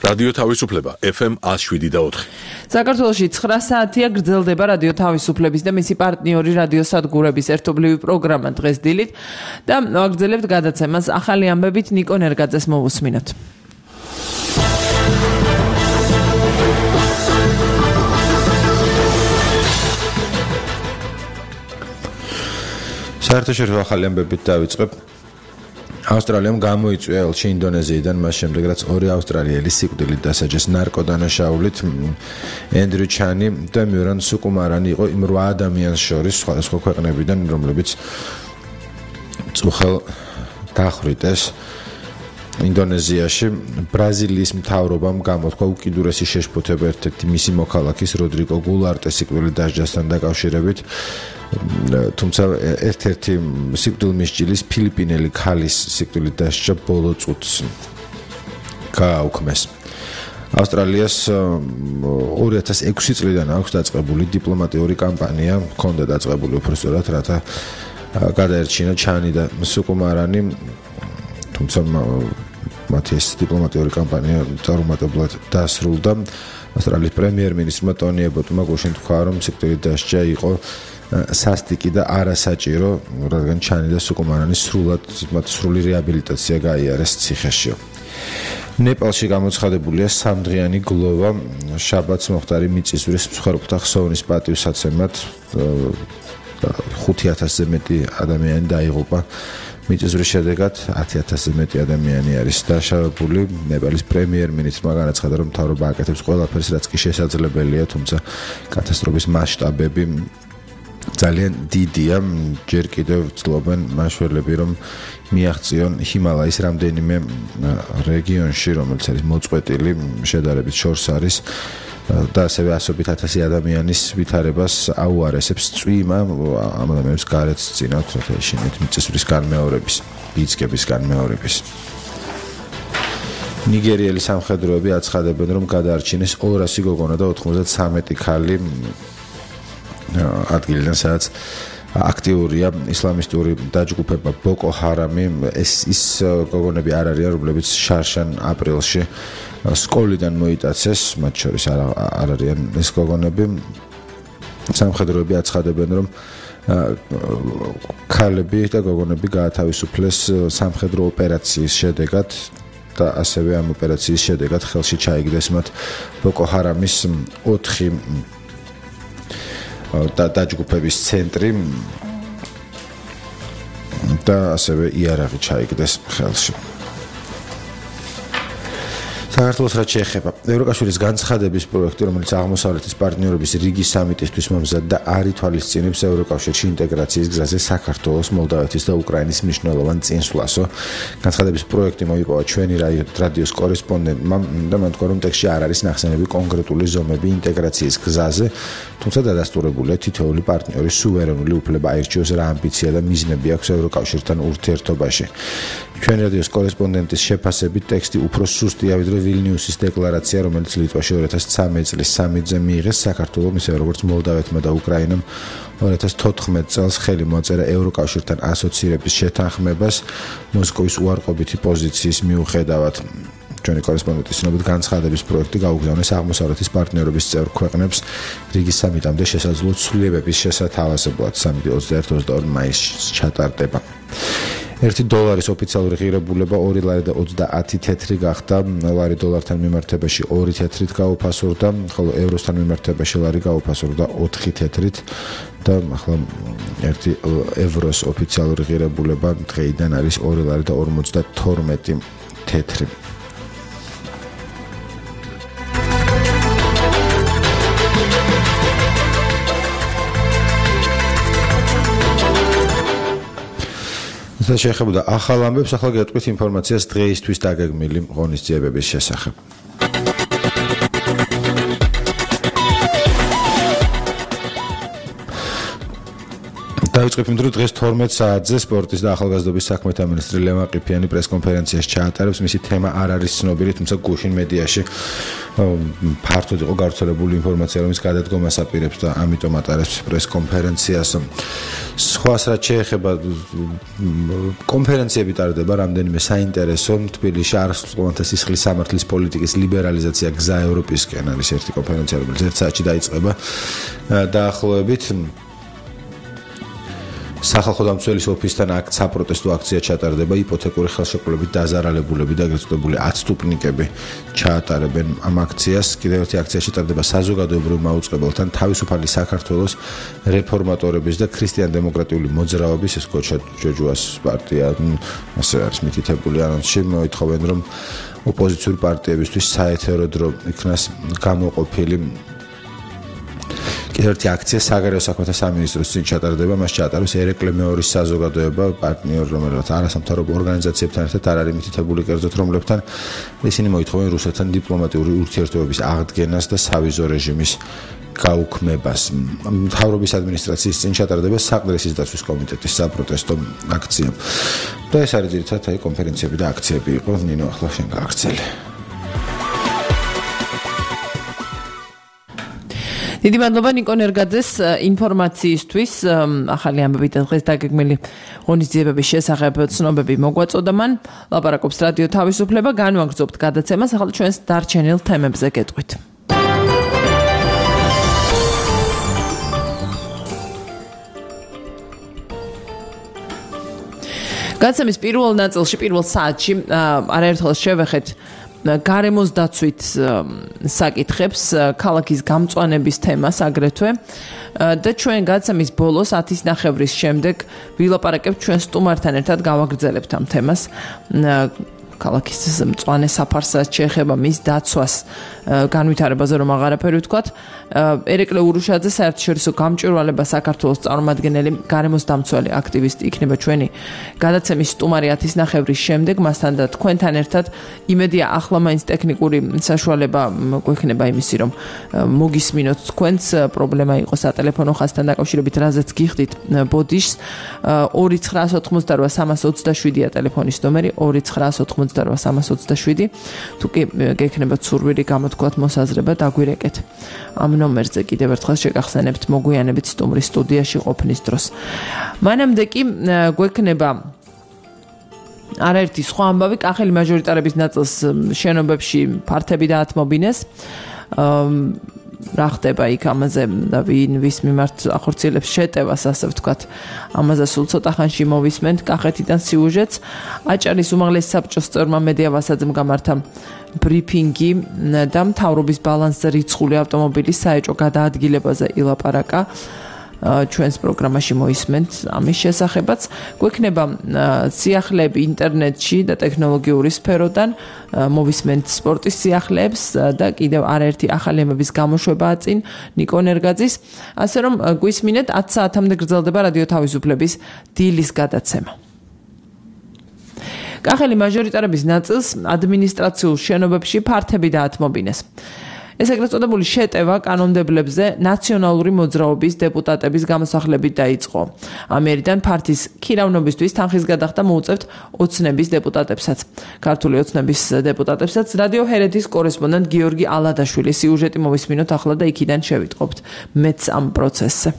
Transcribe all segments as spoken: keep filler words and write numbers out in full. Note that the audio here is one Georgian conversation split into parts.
რადიო თავისუფლება ეფ ემ one oh seven და four. საქართველოში ცხრა საათია გრძელდება რადიო თავისუფლების და მისი პარტნიორი რადიო სადგურების ერთობლივი პროგრამა დღეს დილით და ვაგრძელებთ გადაცემას ახალი ამბებით ნიკო ნერგაძეს მოვუსმინოთ. საერთაშორისო ახალი ამბებით დავიწყებ. ავსტრალიამ გამოიწვია ელჩი ინდონეზიიდან მას შემდეგ რაც ორი ავსტრალიელი სიკვდილით დასაჯეს ნარკოდანაშაულით ენდრიუ ჩანი და მიურან სუკუმარანი იყო იმ რვა ადამიანს შორის სხვადასხვა ქვეყნებიდან რომლებიც წუხელ დახვრიტეს ინდონეზიაში ბრაზილიის მთავრობამ გამოთქვა უკიდურესი შეშფოთება ერთ-ერთი მისი მოქალაქის როდრიგო გულარტეს სიკვდილით დასჯასთან დაკავშირებით თუმცა ერთ-ერთი სიკვდილმისჯილის ფილიპინელი ქალის სიკვდილით დასჯა ბოლო წუთს გააუქმეს. ავსტრალიას ორი ათას ექვსი წლიდან აქვს დაწყებული დიპლომატიური კამპანია, ჰქონდა დაწყებული უბრალოდ რათა გადაერჩინა ჩანი და სუკუმარანი, თუმცა მათი ეს დიპლომატიური კამპანია წარუმატებლად დასრულდა. ავსტრალიის პრემიერ-მინისტრმა ტონი ებოტმა გუშინ თქვა, რომ სიკვდილით დასჯა იყო სასტიკი და არასაჭირო, რადგან ჩანი და სუკუმარანი სრულად მათ სრული რეაბილიტაცია გაიარეს ციხეში. ნეპალში გამოცხადებულია სამდღიანი გლოვა შაბათს მოხდარი მიწისძვრის მსხვერპლთა ხსოვნის პატივსაცემად ხუთი ათასზე მეტი ადამიანი დაიღუპა. მიწისძვრის შედეგად ათი ათასზე მეტი ადამიანი არის დაშავებული. ნეპალის პრემიერ-მინისტრმა განაცხადა, რომ მთავრობა აკეთებს ყველაფერს, რაც კი შესაძლებელია, თუმცა კატასტროფის მასშტაბები ძალიან დიდია. ჯერ კიდევ ცდილობენ მაშველები, რომ მიაღწიონ ჰიმალაის რამდენიმე რეგიონში, რომელიც არის მოწყვეტილი შედარებით შორს არის და ასევე ასობით ათასი ადამიანის ვითარებას აუარესებს წვიმა ამ ადამიანებს გარეთ წინათ შეშინეთ მიწისძვრის განმეორების, ბიძგების განმეორების. ნიგერიელი სამხედროები აცხადებენ, რომ გადაარჩინეს ორასი გოგონა და ოთხმოცდათვრამეტი ქალი ადგილიდან, სადაც აქტიურია ისლამისტური დაჯგუფება ბოკო ჰარამი. ეს ის გოგონები არ არიან, რომლებიც შარშან აპრილში სკოლიდან მოიტაცეს, მათ შორის არ არიან ეს გოგონები. სამხედროები აცხადებენ, რომ ქალები და გოგონები გაათავისუფლეს სამხედრო ოპერაციის შედეგად და ასევე ამ ოპერაციის შედეგად ხელში ჩაიგდეს მათ ბოკო ჰარამის ოთხი და დაჯგუფების ცენტრი და ასევე იარაღი ჩაიგდეს ხელში. საქართველოს რაც შეეხება ევროკავშირის განცხადების პროექტი, რომელიც აღმოსავლეთის პარტნიორობის რიგის სამიტისთვის მომზადდა, არ ითვალისწინებს ევროკავშირში ინტეგრაციის გზაზე საქართველოს, მოლდავეთის და უკრაინის მნიშვნელოვან წინსვლასო. განცხადების პროექტი მოიპოვა ჩვენი რადიოს კორესპონდენტმა და მან თქვა, რომ ტექსტში არ არის ნახსენები კონკრეტული ზომები ინტეგრაციის გზაზე, თუმცა დადასტურებულია თითოეული პარტნიორის სუვერენული უფლება აირჩიოს რა ამბიცია და მიზნები აქვს ევროკავშირთან ურთიერთობაში. ჩვენი რადიოს კორესპონდენტის შეფასებით ტექსტი უფრო სუსტია ვიდრე ვილნიუსის დეკლარაცია, რომელიც ლიტვაში ორი ათას ცხრამეტი წლის სამიტზე მიიღეს. საქართველოს, ისე როგორც მოლდავეთმა და უკრაინამ ორი ათას თოთხმეტი წელს ხელი მოაწერა ევროკავშირთან ასოცირების შეთანხმებას მოსკოვის უარყოფითი პოზიციის მიუხედავად. ჩვენი კორესპონდენტის ცნობით განცხადების პროექტი გაუგზავნეს აღმოსავლეთის პარტნიორობის წევრ ქვეყნებს რიგის სამიტამდე შესაძლო ცვლილებების შესათავაზებლად. სამიტი ოცდაერთი ოცდაორი მაისს ჩატარდება. ერთი დოლარის ოფიციალური ღირებულება ორი ლარი და ოცდაათი თეთრი გახდა. ლარი დოლართან მიმართებაში ორი თეთრით გაუფასურდა, ხოლო ევროსთან მიმართებაში ლარი გაუფასურდა ოთხი თეთრით და ახლა ერთი ევროს ოფიციალური ღირებულება დღეიდან არის ორი ლარი და ორმოცდათორმეტი თეთრი. შეეხებოდა ახალ ამბებს, ახლა გეტყვით ინფორმაციას დღეისთვის დაგეგმილი ღონისძიებების შესახებ. დავიწყებ იმ დრო დღეს თორმეტ საათზე სპორტის და ახალგაზრდობის საქმეთა მინისტრი ლევან ყიფიანი პრესკონფერენციას ჩაატარებს. მისი თემა არ არის ცნობილი, თუმცა გუშინ მედიაში ფართოდ იყო გავრცელებული ინფორმაცია, რომ ის გადადგომას აპირებს და ამიტომ ატარებს პრესკონფერენციას. სხვას რაც შეეხება კონფერენციები ტარდება რამდენიმე საინტერესო. თბილისში არასრულ ყოველთა სისხლის სამართლის პოლიტიკის ლიბერალიზაცია გზა ევროპისკენ არის ერთი კონფერენცია, რომელიც ერთ საათში დაიწყება დაახლოებით. სახალხო დამცველის ოფისთან აქ საპროტესტო აქცია ჩატარდება, იპოთეკური ხელშეკრულებით დაზარალებულები და ეგრეთ წოდებული ათსტუფნიკები ჩაატარებენ ამ აქციას. კიდევ ერთი აქცია ჩატარდება საზოგადოებრივ მაუწყებელთან თავისუფალი საქართველოს რეფორმატორების და ქრისტიან-დემოკრატიული მოძრაობის, ეს კოჩა ჯოჯუას პარტია, ასე არის მითითებული ანონსში, მოითხოვენ რომ ოპოზიციური პარტიებისთვის საეთერო დრო იქნას გამოყოფილი. ერთი აქცია საგარეო საქმეთა სამინისტროს წინ ჩატარდება, მას ჩაატარებს ერეკლე მეორის საზოგადოება, პარტნიორ, რომელიც არასამთავრობო ორგანიზაციებთან ერთად არ არის მითითებული, კერძოდ რომლებთან ისინი მოითხოვენ რუსეთთან დიპლომატიური ურთიერთობების აღდგენას და სავიზო რეჟიმის გაუქმებას. მთავრობის ადმინისტრაციის წინ ჩატარდება საყდრისის დაცვის კომიტეტის საპროტესტო აქცია. და ეს არის ძირითადად აი კონფერენციები და აქციები იყო. ნინო, ახლა შენ გააგრძელე. დიდი მადლობა ნიკო ნერგაძეს ინფორმაციისთვის. ახალი ამბები და დღეს დაგეგმილი ღონისძიებების შესახებ ცნობები მოგვაწოდა მან. ლაპარაკობს რადიო თავისუფლება, განვაგრძობთ გადაცემას, ახლა ჩვენს დარჩენილ თემებზე გეტყვით. გადაცემის პირველ ნაწილში, პირველ საათში არაერთხელ შევეხეთ გარემოს დაცვით საკითხებს, ქალაქის გამწვანების თემას აგრეთვე და ჩვენ გადაცემის ბოლოს ათის ნახევრის შემდეგ ვილაპარაკებთ ჩვენ სტუმართან ერთად გავაგრძელებთ ამ თემას. ქალაქის მწვანე საფარსაც შეეხება მის დაცვას განვითარებაზე რომ აღარაფერი ვთქვათ. ერეკლე ურუშაძე საერთაშორისო გამჭვირვალება საქართველოს წარმომადგენელი გარემოს დამცველი აქტივისტი იქნება ჩვენი გადაცემის სტუმარი ათის ნახევრის შემდეგ. მასთან და თქვენთან ერთად იმედია ახლა მაინც ტექნიკური საშუალება გვექნება იმისი რომ მოგისმინოთ თქვენს პრობლემა იყო სატელეფონო ხაზთან დაკავშირებით, რაზეც გიხდით ბოდიშს. ორი ცხრაას ოთხმოცდარვა სამას ოცდაშვიდია ტელეფონის ნომერი, ორი ცხრაას ოთხმოცდარვა სამას ოცდაშვიდი. თუ კი გექნებათ სურვილი გამოთქვათ მოსაზრება, დაგვირეკეთ. ამ ნომერზე კიდევ ერთხელ შეგახსენებთ მოგვიანებით სტუმრის სტუდიაში ყოფნის დროს. მანამდე კი გვექნება არაერთი სხვა ამბავი. კახელი მაჟორიტარების ნაწილს შენობებში ფართები დაათმობინეს. რა ხდება იქ ამაზე და ვინ ვის მიმართ ახორციელებს შეტევას, ასე ვთქვათ. ამაზე სულ ცოტა ხანში მოვისმენთ კახეთიდან სიუჟეტს. აჭარის უმაღლესი საბჭოს წევრმა მედია ვასაძემ გამართა ბრიფინგი და მთავრობის ბალანსზე რიცხული ავტომობილის საეჭო გადაადგილებაზე ილაპარაკა. ჩვენს პროგრამაში მოისმენთ ამის შესახებაც. გვექნება სიახლეები ინტერნეტში და ტექნოლოგიური სფეროდან, მოვისმენთ სპორტის სიახლეებს და კიდევ არაერთი ახალი ამბების გამოშვებაა წინ ნიკო ნერგაძის. ასე რომ გვისმინეთ ათ საათამდე გრძელდება რადიო თავისუფლების დილის გადაცემა. კახელი მაჟორიტარების ნაწილს ადმინისტრაციულ შენობებში ფართები დაათმობინეს. ეს ეგრეთ წოდებული შეტევა კანონმდებლებზე ნაციონალური მოძრაობის დეპუტატების გამოსახლებით დაიწყო. ამერიდან ფართის ქირავნობისთვის თანხის გადახდა მოუწევთ ოცნების დეპუტატებსაც. ქართული ოცნების დეპუტატებსაც რადიო ჰერეთის კორესპონდენტ გიორგი ალადაშვილის სიუჟეტი მოვისმინოთ ახლა და იქიდან შევიტყობთ მეც ამ პროცესზე.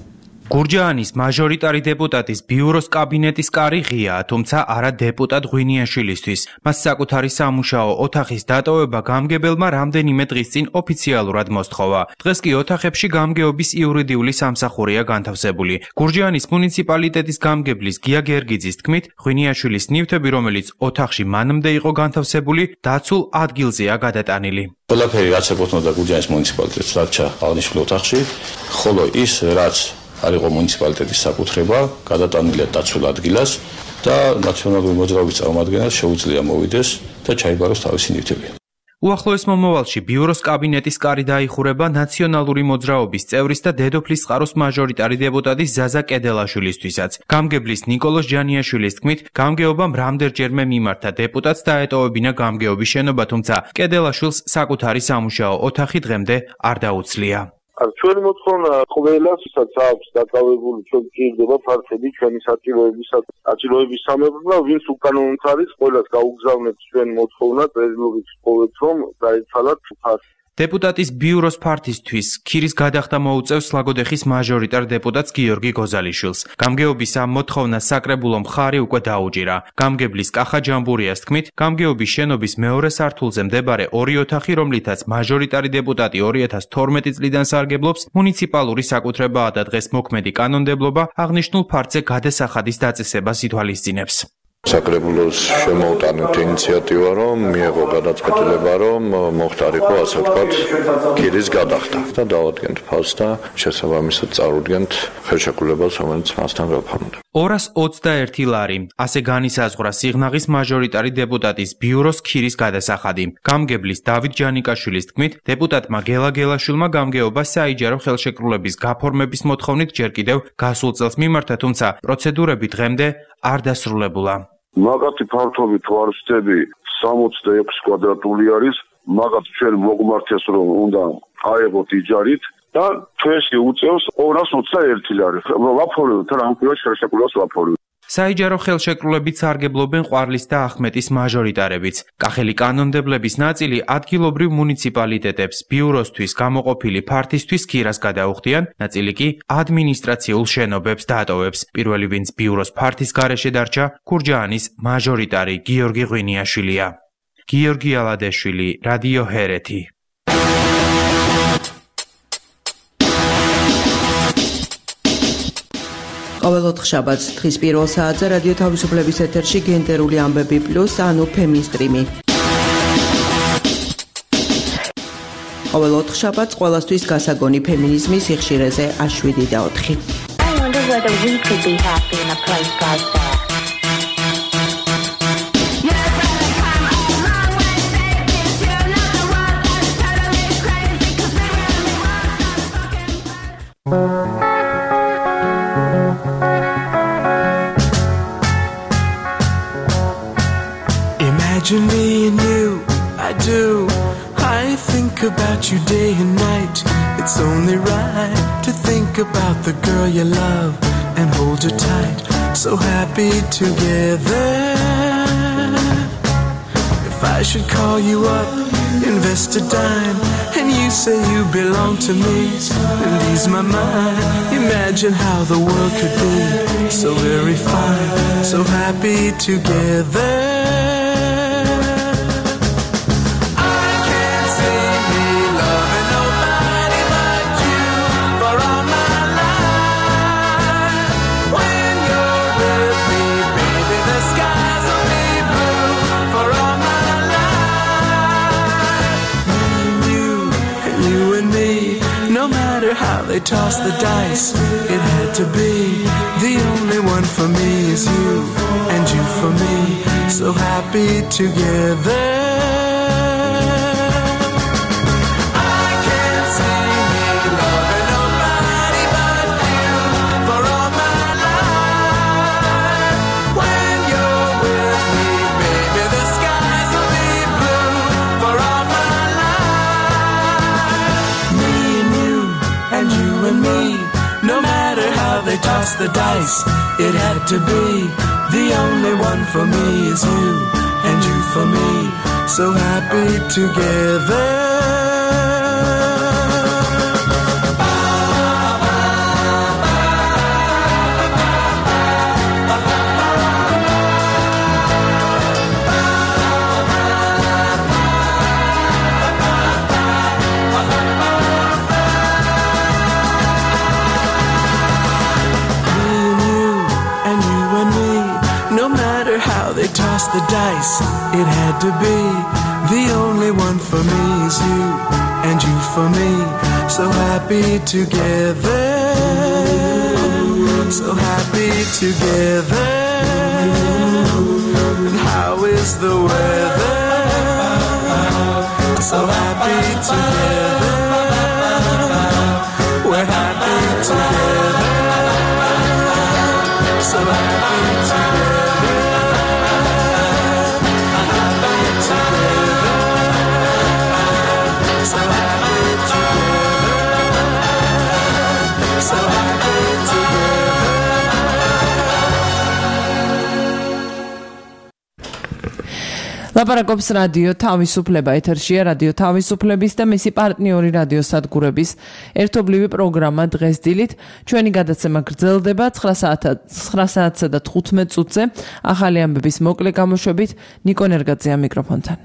გურჯაანის მაჟორიტარი დეპუტატის ბიუროს კაბინეტის კარი ღიაა, თუმცა არა დეპუტატ ღვინიაშვილისთვის. მას საკუთარი სამუშაო ოთახის დატოვება გამგებელმა რამდენიმე დღის წინ ოფიციალურად მოსთხოვა. დღეს კი ოთახებში გამგეობის იურიდიული სამსახურია განთავსებული. გურჯაანის მუნიციპალიტეტის გამგებლის გია გერგიძის თქმით, ღვინიაშვილის ნივთები, რომელიც ოთახში მანამდე იყო განთავსებული, დაცულ ადგილზეა გადატანილი. ყველაფერი რაც ეკუთვნოდა გურჯაანის მუნიციპალიტეტს, რაც აღნიშნულ ოთახში, ხოლო ის რაც არ იყო მუნიციპალიტეტის საკუთრება, გადატანილია დაცულ ადგილას და ნაციონალური მოძრაობის წარმომადგენელს შეუძლია მოვიდეს და ჩაიბაროს თავისი ნივთები. უახლოეს მომავალში ბიუროს კაბინეტის კარი დაიხურება ნაციონალური მოძრაობის წევრის და დედოფლის წყაროს მაჟორიტარი დეპუტატის ზაზა კედელაშვილისთვისაც. გამგებლის ნიკოლოზ ჯანიაშვილის თქმით, გამგეობამ რამდენჯერმე მიმართა დეპუტატს დაეტოვებინა გამგეობის შენობა, თუმცა კედელაშვილს საკუთარი სამუშაო ოთახი დღემდე არ დაუცლია. არ ჩვენი მოთხოვნა ყველას, ვისაც აქვს დაკავებული, ჩვენ გირდება ფართები ჩვენი საჭიროებისას, საჭიროების სამეფო, ვინც უკანონოდ არის, ყველას გაუგზავნებთ ჩვენ მოთხოვნა, წერილობით ვთხოვეთ, რომ დაეცალათ ფართ. დეპუტატის ბიუროს ფართისთვის ქირის გადახდა მოუწევს სლაგოდეხის მაჟორიტარ დეპუტატს გიორგი გოზალიშვილს. გამგეობის ამ მოთხოვნას საკრებულო მხარი უკვე დაუჭირა. გამგებლის კახა ჯამბურიას თქმით, გამგეობის შენობის მეორე სართულზე მდებარე ორი ოთახი, რომლითაც მაჟორიტარი დეპუტატი ორი ათას თორმეტი წლიდან სარგებლობს, მუნიციპალური საკუთრებაა და დღეს მოქმედი კანონმდებლობა აღნიშნულ ფართზე გადასახადის დაწესებას ითვალისწინებს. საკრებულოს შემოუტანეთ ინიციატივა, რომ მიეღო გადაწყვეტილება, რომ მოხდარიყო ასე ვთქვათ ქირის გადახდა და დავადგენთ ფასს და შესაბამისად წარუდგენთ ხელშეკრულებას, რომელიც მასთან გაფორმდა. ორას ოცდაერთი ლარი, ასე განისაზღვრა სიღნაღის მაჟორიტარი დეპუტატის ბიუროს ქირის გადასახადი. გამგებლის დავით ჯანიკაშვილის თქმით, დეპუტატმა გელა გელაშვილმა გამგეობა საიჯარო ხელშეკრულების გაფორმების მოთხოვნით ჯერ კიდევ გასულ წელს მიმართა, თუმცა პროცედურები დღემდე არ დასრულებულა. მაგათი ფართობით ვარსტები სამოცდაექვსი კვადრატული არის, მაგათ ჩვენ მოგმართეს, რომ უნდა აეღოთ იჯარით და ჩვენში უწევს ორას ოცდაერთი ლარი. ვაფორებთ რა ამ ხელშეკრულებას ვაფორებთ. საიჯარო ხელშეკრულებით სარგებლობენ ყვარლის და ახმეტის მაჟორიტარებიც. კახელი კანონმდებლების ნაწილი ადგილობრივ მუნიციპალიტეტებს ბიუროსთვის გამოყოფილი ფართისთვის ქირას გადაუხდიან, ნაწილი კი ადმინისტრაციულ შენობებს დატოვებს. პირველი ვინც ბიუროს ფართის გარეშე დარჩა, ქურჯაანის მაჟორიტარი გიორგი ღვინიაშვილია. გიორგი ალადეშვილი, რადიო ჰერეთი. ყოველ ოთხშაბათს დღის პირველ საათზე რადიო თავისუფლების ეთერში გენდერული ამბები პლუს, ანუ ფემინსტრიმი. ყოველ ოთხშაბათს ყველასთვის გასაგონი ფემინიზმის სიხშირეზე შვიდი და ოთხი. I wonder whether we could be happy in a place like that. Imagine me and you, I do. I think about you day and night. It's only right to think about the girl you love and hold her tight. So happy together. If I should call you up, invest a dime, and you say you belong to me, and ease my mind. Imagine how the world could be so very fine, so happy together. They toss the dice, it had to be. The only one for me is you, and you for me, so happy together. I can't see me loving nobody but you for all my life. When you're with me, baby, the skies will be blue for all my life. Me and you, and you and me, no matter how they toss the dice, it had to be. The only one for me is you, and you for me, so happy together. Toss the dice, it had to be. The only one for me is you, and you for me, so happy together, so happy together. And how is the weather? So happy together, we're happy together, so happy together. So happy together. ლაპარაკობს რადიო თავისუფლება ეთერშია რადიო თავისუფლების და მისი პარტნიორი რადიო სადგურების ერთობლივი პროგრამა დღეს დილით ჩვენი გადაცემა გრძელდება ცხრა საათსა და თხუთმეტ წუთზე ახალი ამბების მოკლე გამოშვებით ნიკო ნერგაძეა მიკროფონთან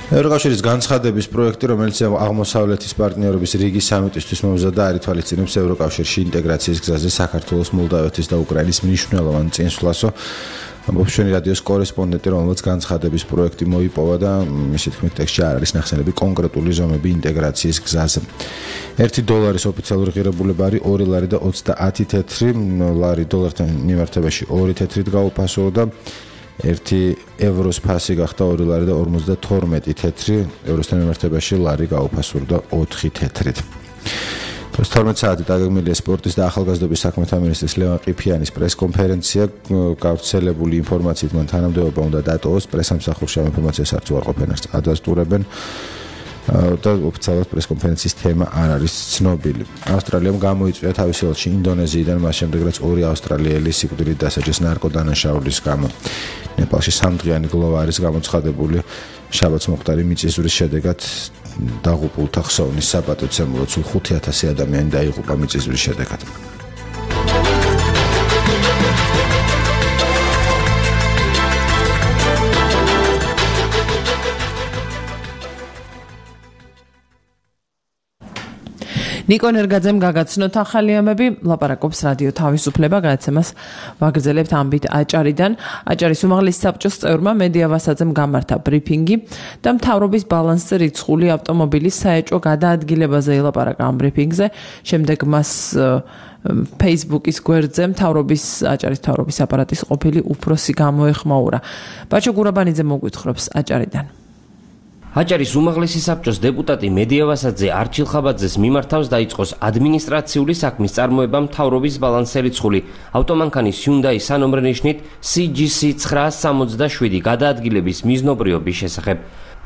ევროკავშირის განცხადების პროექტი, რომელიც აღმოსავლეთის პარტნიორობის რიგის სამიტისთვის მომზადდა, არ ითვალისწინებს ევროკავშირში ინტეგრაციის გზაზე საქართველოს, მოლდავეთის და უკრაინის მნიშვნელოვან წინსვლასო. ამბობს ჩვენი რადიოს კორესპონდენტი, რომელიც განცხადების პროექტი მოიპოვა და მისი თქმით ტექსტში არ არის ნახსენები კონკრეტული ზომები ინტეგრაციის გზაზე. ერთი დოლარის ოფიციალური ღირებულება არის ორი ლარი და ოცდაათი თეთრი, ლარი დოლართან მიმართებაში ორი თეთრით გაუფასო და ერთი ევროს ფასი გახდა ორი ლარი და ორმოცდათორმეტი თეთრი, ევროსთან მიმართებაში ლარი გაუფასურდა ოთხი თეთრით. თორმეტ საათი დაგეგმილია სპორტის და ახალგაზრდობის საქმეთა მინისტრის ლევან ყიფიანის პრესკონფერენცია, გავრცელებული ინფორმაციით მან თანამდებობა უნდა დატოვოს, პრესამსახურში ამ ინფორმაციას არც უარყოფენ, არც ადასტურებენ. და ოფიციალურად პრესკონფერენციის თემა არ არის ცნობილი. ავსტრალიამ გამოიწვია თავისი ელჩი ინდონეზიიდან, მას შემდეგ რაც ორი ავსტრალიელი სიკვდილით დასაჯეს ნარკოდანაშაულის გამო. ნეპალში სამდღიანი გლოვა არის გამოცხადებული შაბათს მოხდარი მიწისძვრის შედეგად დაღუპულთა ხსოვნის საპატივცემულოდ სულ ხუთი ათასი ადამიანი დაიღუპა მიწისძვრის შედეგად. ნიკო ნერგაძემ გაგაცნოთ ახალი ამბები, ლაპარაკობს რადიო თავისუფლება, გადაცემას ვაგრძელებთ ამბით აჭარიდან. აჭარის უმაღლესი საბჭოს წევრმა მედია ვასაძემ გამართა ბრიფინგი და მთავრობის ბალანსზე რიცხული ავტომობილის საეჭვო გადაადგილებაზე ელაპარაკა ამ ბრიფინგზე. შემდეგ მას Facebook-ის გვერდზე მთავრობის აჭარის მთავრობის აპარატის ყოფილი უფროსი გამოეხმაურა. ბაჩო გურაბანიძე მოგვითხრობს აჭარიდან. აჭარის უმაღლესი საბჭოს დეპუტატი მედია ვასაძე არჩილ ხაბაძეს მიმართავს დაიწყოს ადმინისტრაციული საქმის წარმოება მთავრობის ბალანსზე რიცხული ავტომანქანის Hyundai სანომრენიშნით C G C ცხრაას სამოცდაშვიდი გადაადგილების მიზნობრიობის შესახებ.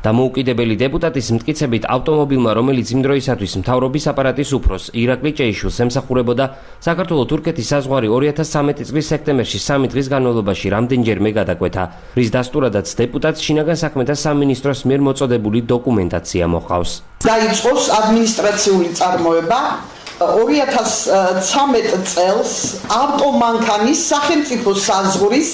დამოუკიდებელი დეპუტატის მტკიცებით ავტომობილმა, რომელიც იმ დროისათვის მთავრობის აპარატის უფროს ირაკლი ჭეიშვილს ემსახურებოდა, საქართველო-თურქეთის საზღვარი ორი ათას სამეტი წლის სექტემბერში სამი დღის განმავლობაში რამდენჯერმე გადაკვეთა, რის დასტურადაც დეპუტატს შინაგან საქმეთა სამინისტროს მიერ მოწოდებული დოკუმენტაცია მოჰყავს. დაიწყოს ადმინისტრაციული წარმოება ორი ათას ცხრამეტ წელს ავტომანქანის სახელმწიფო საზღვრის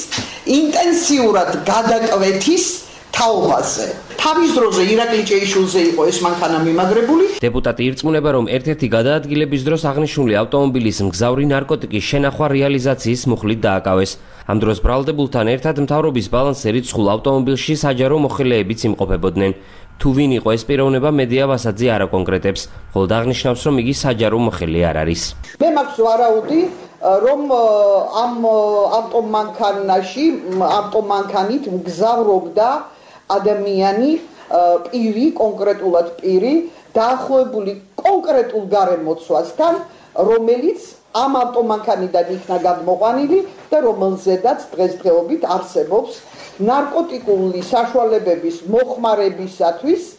ინტენსიურად გადაკვეთის თაობაზე. თავის დროზე ირაკლი ჭეიშვილზე იყო ეს მანქანა მიმაგრებული. დეპუტატი ირწმუნება, რომ ერთ-ერთი გადაადგილების დროს აღნიშნული ავტომობილის მგზავრი ნარკოტიკის შენახვა რეალიზაციის მუხლით დააკავეს. ამ დროს ბრალდებულთან ერთად მთავრობის ბალანსზე რიცხულ ავტომობილში საჯარო მოხელეებიც იმყოფებოდნენ. თუ ვინ იყო ეს პიროვნება, მედია ვასაძე არ აკონკრეტებს, ხოლო აღნიშნავს, რომ იგი საჯარო მოხელე არ არის. მე მაქვს ვარაუდი, რომ ამ ავტომანქანაში ავტომანქანით მგზავრობდა ადამიანი პირი, კონკრეტულად პირი, დაახლოებული კონკრეტულ გარემოცვასთან, რომელიც ამ ავტომანქანიდან იქნა გადმოყვანილი და რომელზედაც დღესდღეობით არსებობს ნარკოტიკული საშუალებების მოხმარებისათვის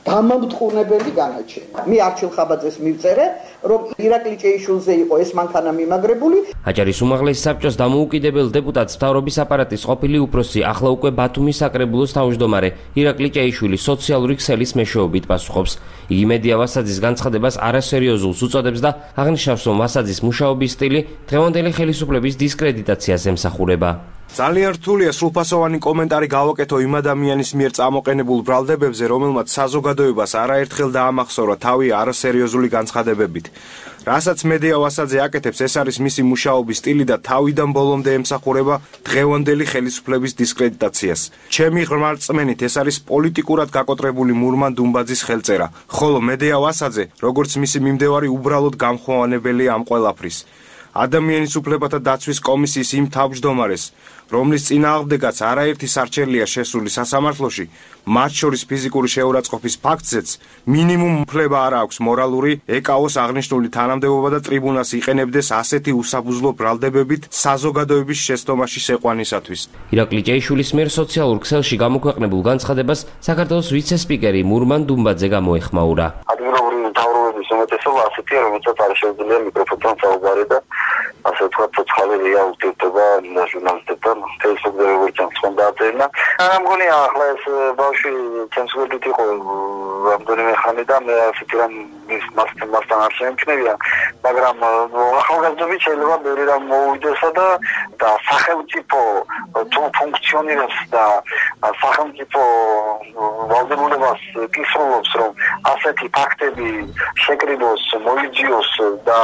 გამამტყუნებელი განაჩენი. მე არჩილ ხაბაძეს მივწერე, რომ ირაკლი ჭეიშვილზე იყო ეს მანქანა მიმაგრებული. აჭარის უმაღლესი საბჭოს დამოუკიდებელ დეპუტატს მთავრობის აპარატის ყოფილი უფროსი, ახლა უკვე ბათუმის საკრებულოს თავმჯდომარე ირაკლი ჭეიშვილი სოციალური ქსელის მეშვეობით პასუხობს. იგი მედია ვასაძის განცხადებას არასერიოზულს უწოდებს და აღნიშნავს, რომ ვასაძის მუშაობის სტილი დღევანდელი ხელისუფლების დისკრედიტაციას ემსახურება. ძალიან რთულია სრულფასოვანი კომენტარი გავაკეთო იმ ადამიანის მიერ წამოყენებულ ბრალდებებზე, რომელმაც საზოგადოებას არაერთხელ დაამახსოვრა თავი არასერიოზული განცხადებებით. რასაც მედია ვასაძე აკეთებს, ეს არის მისი მუშაობის სტილი და თავიდან ბოლომდე ემსახურება დღევანდელი ხელისუფლების დისკრედიტაციას. ჩემი ღრმა რწმენით, ეს არის პოლიტიკურად გაკოტრებული მურმან დუმბაძის ხელწერა, ხოლო მედია ვასაძე, როგორც მისი მიმდევარი, უბრალოდ გამხმოვანებელია ამ ყველაფრის. ადამიანის უფლებათა დაცვის კომისიის იმ თავმჯდომარეს, რომლის წინააღმდეგაც არაერთი სარჩელია შესული სასამართლოში, მათ შორის ფიზიკური შეურაცხყოფის ფაქტზეც მინიმუმ უფლება არ აქვს მორალური ეკავოს აღნიშნული თანამდებობა და ტრიბუნას იყენებდეს ასეთი უსაფუძვლო ბრალდებებით საზოგადოების შეცდომაში შეყვანისათვის. ირაკლი ჭეიშვილის მიერ სოციალურ ქსელში გამოქვეყნებულ განცხადებას საქართველოს ვიცე-სპიკერი მურმან დუმბაძე გამოეხმაურა. ადგილობრივი მთავრობების უმეტესობა ასეთია, რომელსაც არ შეუძლია მიკროფონთან საუბარი და ასე ვთქვათ, ცოცხალი რეა ურთიერთობა ჟურნალისტებთან Facebook-ზე როგორც ამხან დაწერნა. არა მგონია ახლა ეს ბავშვი ცენზურით იყო რამდენიმე ხანი და მე ასეთი რამ ის მასთან მასთან არ შემჩნევია, მაგრამ ახალგაზრდობით შეიძლება ბევრი რამ მოუვიდესა და და სახელმწიფო თუ ფუნქციონირებს და სახელმწიფო ვალდებულებას კისრულობს, რომ ასეთი ფაქტები შეკრიბოს, მოიძიოს და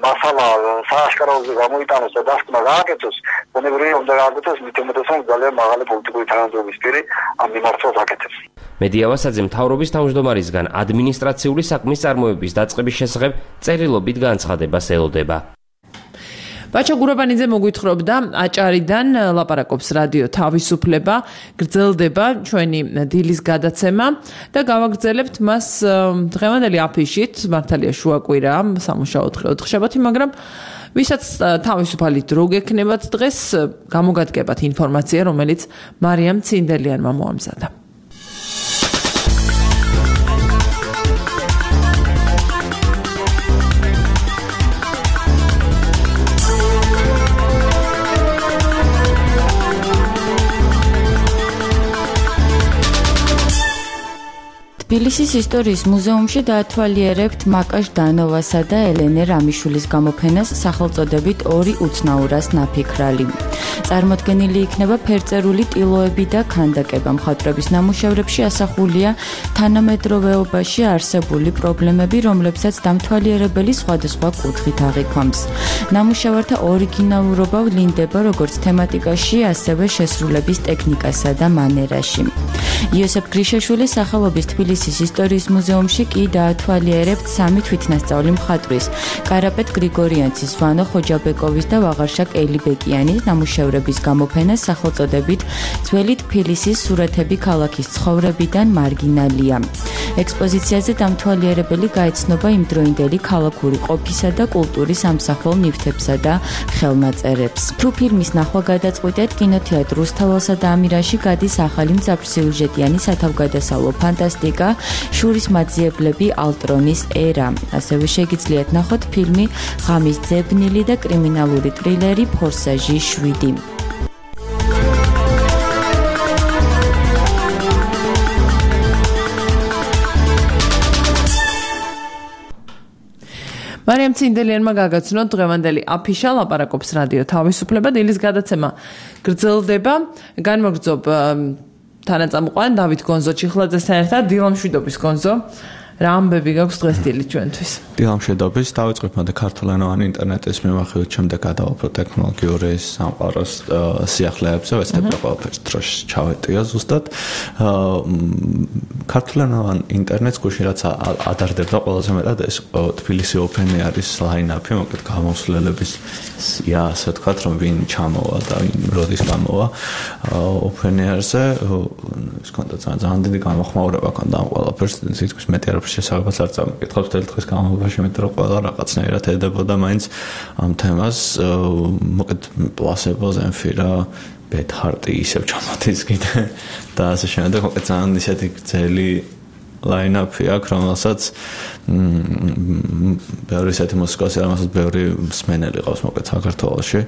მასალა სააშკაროზე გამოიტანოს და დასკვნა გააკეთოს, ბუნებრივია უნდა გააკეთოს მით უმეტესად ძალიან მაღალი პოლიტიკური თანამდებობის პირი ამ მიმართულებას აკეთებს. მედიავასაძე მთავრობის თავმჯდომარისგან ადმინისტრაციული საქმის წარმოების დაწყების შესახებ წერილობით განცხადებას ელოდება. ბაჩა გურაბანიძე მოგვითხრობდა აჭარიდან ლაპარაკობს რადიო თავისუფლება, გრძელდება ჩვენი დილის გადაცემა და გავაგრძელებთ მას დღევანდელი აფიშით, მართალია შუაკვირა, სამუშაო დღე ოთხშაბათი, მაგრამ ვისაც თავისუფალი დრო გექნებათ დღეს გამოგადგებათ ინფორმაცია, რომელიც მარიამ ცინდელიანმა მოამზადა. თბილისის ისტორიის მუზეუმში დაათვალიერებთ მაკაშ დანოვასა და ელენე რამიშვილის გამოფენას სახელწოდებით ორი უცნაურას ნაფიქრალი. წარმოდგენილი იქნება ფერწერული ტილოები და ქანდაკება. მხატვრების ნამუშევრებში ასახულია თანამედროვეობაში არსებული პრობლემები, რომლებსაც დამთვალიერებელი სხვადასხვა კუთხით აღიქვამს. ნამუშევართა ორიგინალურობა ვლინდება როგორც თემატიკაში, ასევე შესრულების ტექნიკასა და მანერაში. იოსებ გრიშაშვილის სახელობის თბილისის ისტორიის მუზეუმში კი დაათვალიერებთ სამი თვითნასწავლი მხატვრის, კარაპეტ გრიგორიანცის, ვანო ხოჯაბეკოვის და ვაღარშაკ ელიბეკიანის ნამუშევრების გამოფენას სახელწოდებით ძველი თბილისის სურათები ქალაქის ცხოვრებიდან მარგინალია. ექსპოზიციაზე დამთვალიერებელი გაეცნობა იმდროინდელი ქალაქური ყოფისა და კულტურის ამსახველ ნივთებსა და ხელნაწერებს. თუ ფილმის ნახვა გადაწყვიტეთ, კინოთეატრ რუსთაველსა და ამირაში გადის ახალი მძაფრსიუჟეტიანი სათავგადასავლო ფანტასტიკა შურის მაძიებლები ალტრონის ერა. ასევე შეგიძლიათ ნახოთ ფილმი ღამის ძებნილი და კრიმინალური ტრილერი ფორსაჟი შვიდი. მარიამ ცინდელიანმა გაგაცნოთ დღევანდელი აფიშა, ლაპარაკობს რადიო თავისუფლება, დილის გადაცემა გრძელდება. განმოგრძობ თანაწამყვან დავით გონზო ჩიხლაძესთან ერთად, დილამშვიდობის გონზო. რა ამბები გაქვს დღეს დილით ჩვენთვის? დილამშვიდობის, დავიწყებ მოდე ქართულენოვანი ინტერნეტის მიმოხილვით, შემდეგ გადავაფრო ტექნოლოგიური სამყაროს სიახლეებზე, ვეცდები ყველაფერს დროში ჩავეტია ზუსტად. ქართულენოვან ინტერნეტს გუშინ რაც ადარდებდა ყველაზე მეტად ეს თბილისი ოფენი არის ლაინაპი, მოკლედ გამოსვლელების სია, ასე ვთქვათ, რომ ვინ ჩამოვა და ვინ როდის გამოვა ოფენერზე, ის კონდა ძალიან დიდი გამოხმაურება კონდა ამ ყველაფერს, თითქოს მეტი არ შესაძლოა არ წამოკითხავს თელ დღეს განმავლობაში, მეტყვი რომ ყველა რაღაცნაირად ედებოდა მაინც ამ თემას, მოკლედ პლასებო, ზემფირა, ბეთ-ჰარტი ისევ ჩამოდის კიდე და ასე შემდეგ, მოკლედ ძალიან ისეთი გრძელი line-up-ი აქვს, რომელსაც ბევრი ისეთი მუსიკოსი, რომელსაც ბევრი მსმენელი ყავს მოკლედ საქართველოში.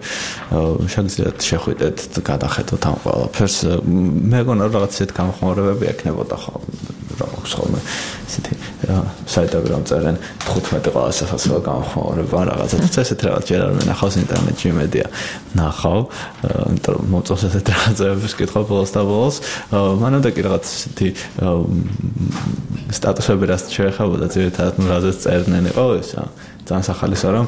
შეგიძლიათ შეხვიდეთ, გადახედოთ ამ ყველაფერს. მე მგონა რომ რაღაც ისეთი გამოხმაურებები ექნებოდა ხოლმე. აქვს ხოლმე ისეთი საიტები რომ წერენ თხუთმეტი ყველა სასაცილო გამოხმაურება რაღაცა თუმცა ესეთ რაღაც ჯერ არ მენახავს ინტერნეტში მედია ნახავ იმიტომ რომ მოწონს ესეთ რაღაცებს კითხავ ბოლოს და ბოლოს მანამდე კი რაღაც ისეთი სტატუსები რაც შეეხებოდა ძირითადად ნუ რაზეც წერდნენ იყო ესა ძალიან სახალისო რომ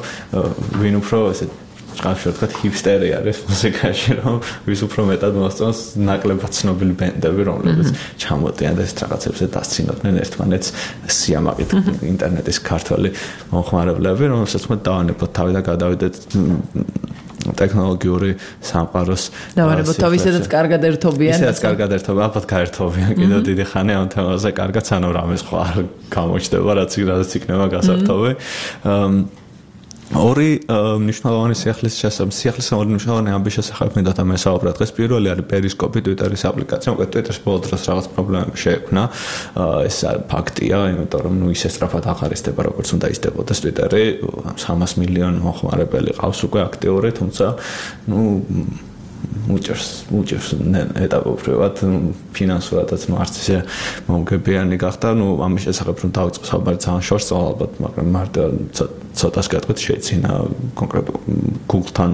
ვინ უფრო ესეთ ჭყავში ვთქვათ ჰიპსტერი არის მუსიკაში რომ ვის უფრო მეტად მოსწონს ნაკლებად ცნობილი ბენდები რომლებიც ჩამოდიან და ეს რაღაცებზე დასცინოდნენ ერთმანეთს სიამაყით ინტერნეტის ქართველი მომხმარებლები რომელსაც მე დავანებოთ თავი და გადავიდეთ ტექნოლოგიური სამყაროს დავანებოთ თავი ისედაც კარგად ერთობიან ისედაც კარგად ერთობიან ალბათ გაერთობიან კიდევ დიდი ხანი ამ თემაზე კარგად სანამ რამეს ხო არ გამოჩნდება რაც რაც იქნება გასართობი ორი მნიშვნელოვანი სიახლის შესაძლებელი სიახლის ორი მნიშვნელოვანი ამბის შესახებ მინდოდა მე საუბრა დღეს. პირველი არის პერისკოპი, ტვიტერის აპლიკაცია. მოკლედ ტვიტერს ბოლო დროს რაღაც პრობლემები შეექმნა. ეს ფაქტია, იმიტომ რომ ნუ ისე სწრაფად აღარ ისდება როგორც უნდა ისდებოდეს ტვიტერი. სამას მილიონი მოხმარებელი ყავს უკვე აქტიური, თუმცა ნუ უჭერს უჭერს ეტაპობრივად ფინანსურადაც ნუ არც ისე მომგებიანი გახდა. ნუ ამის შესახებ რომ დავიწყო საუბარი ძალიან შორს ალბათ, მაგრამ მარტო ცოტას გეტყვით შეეცინა კონკრეტულ Google-თან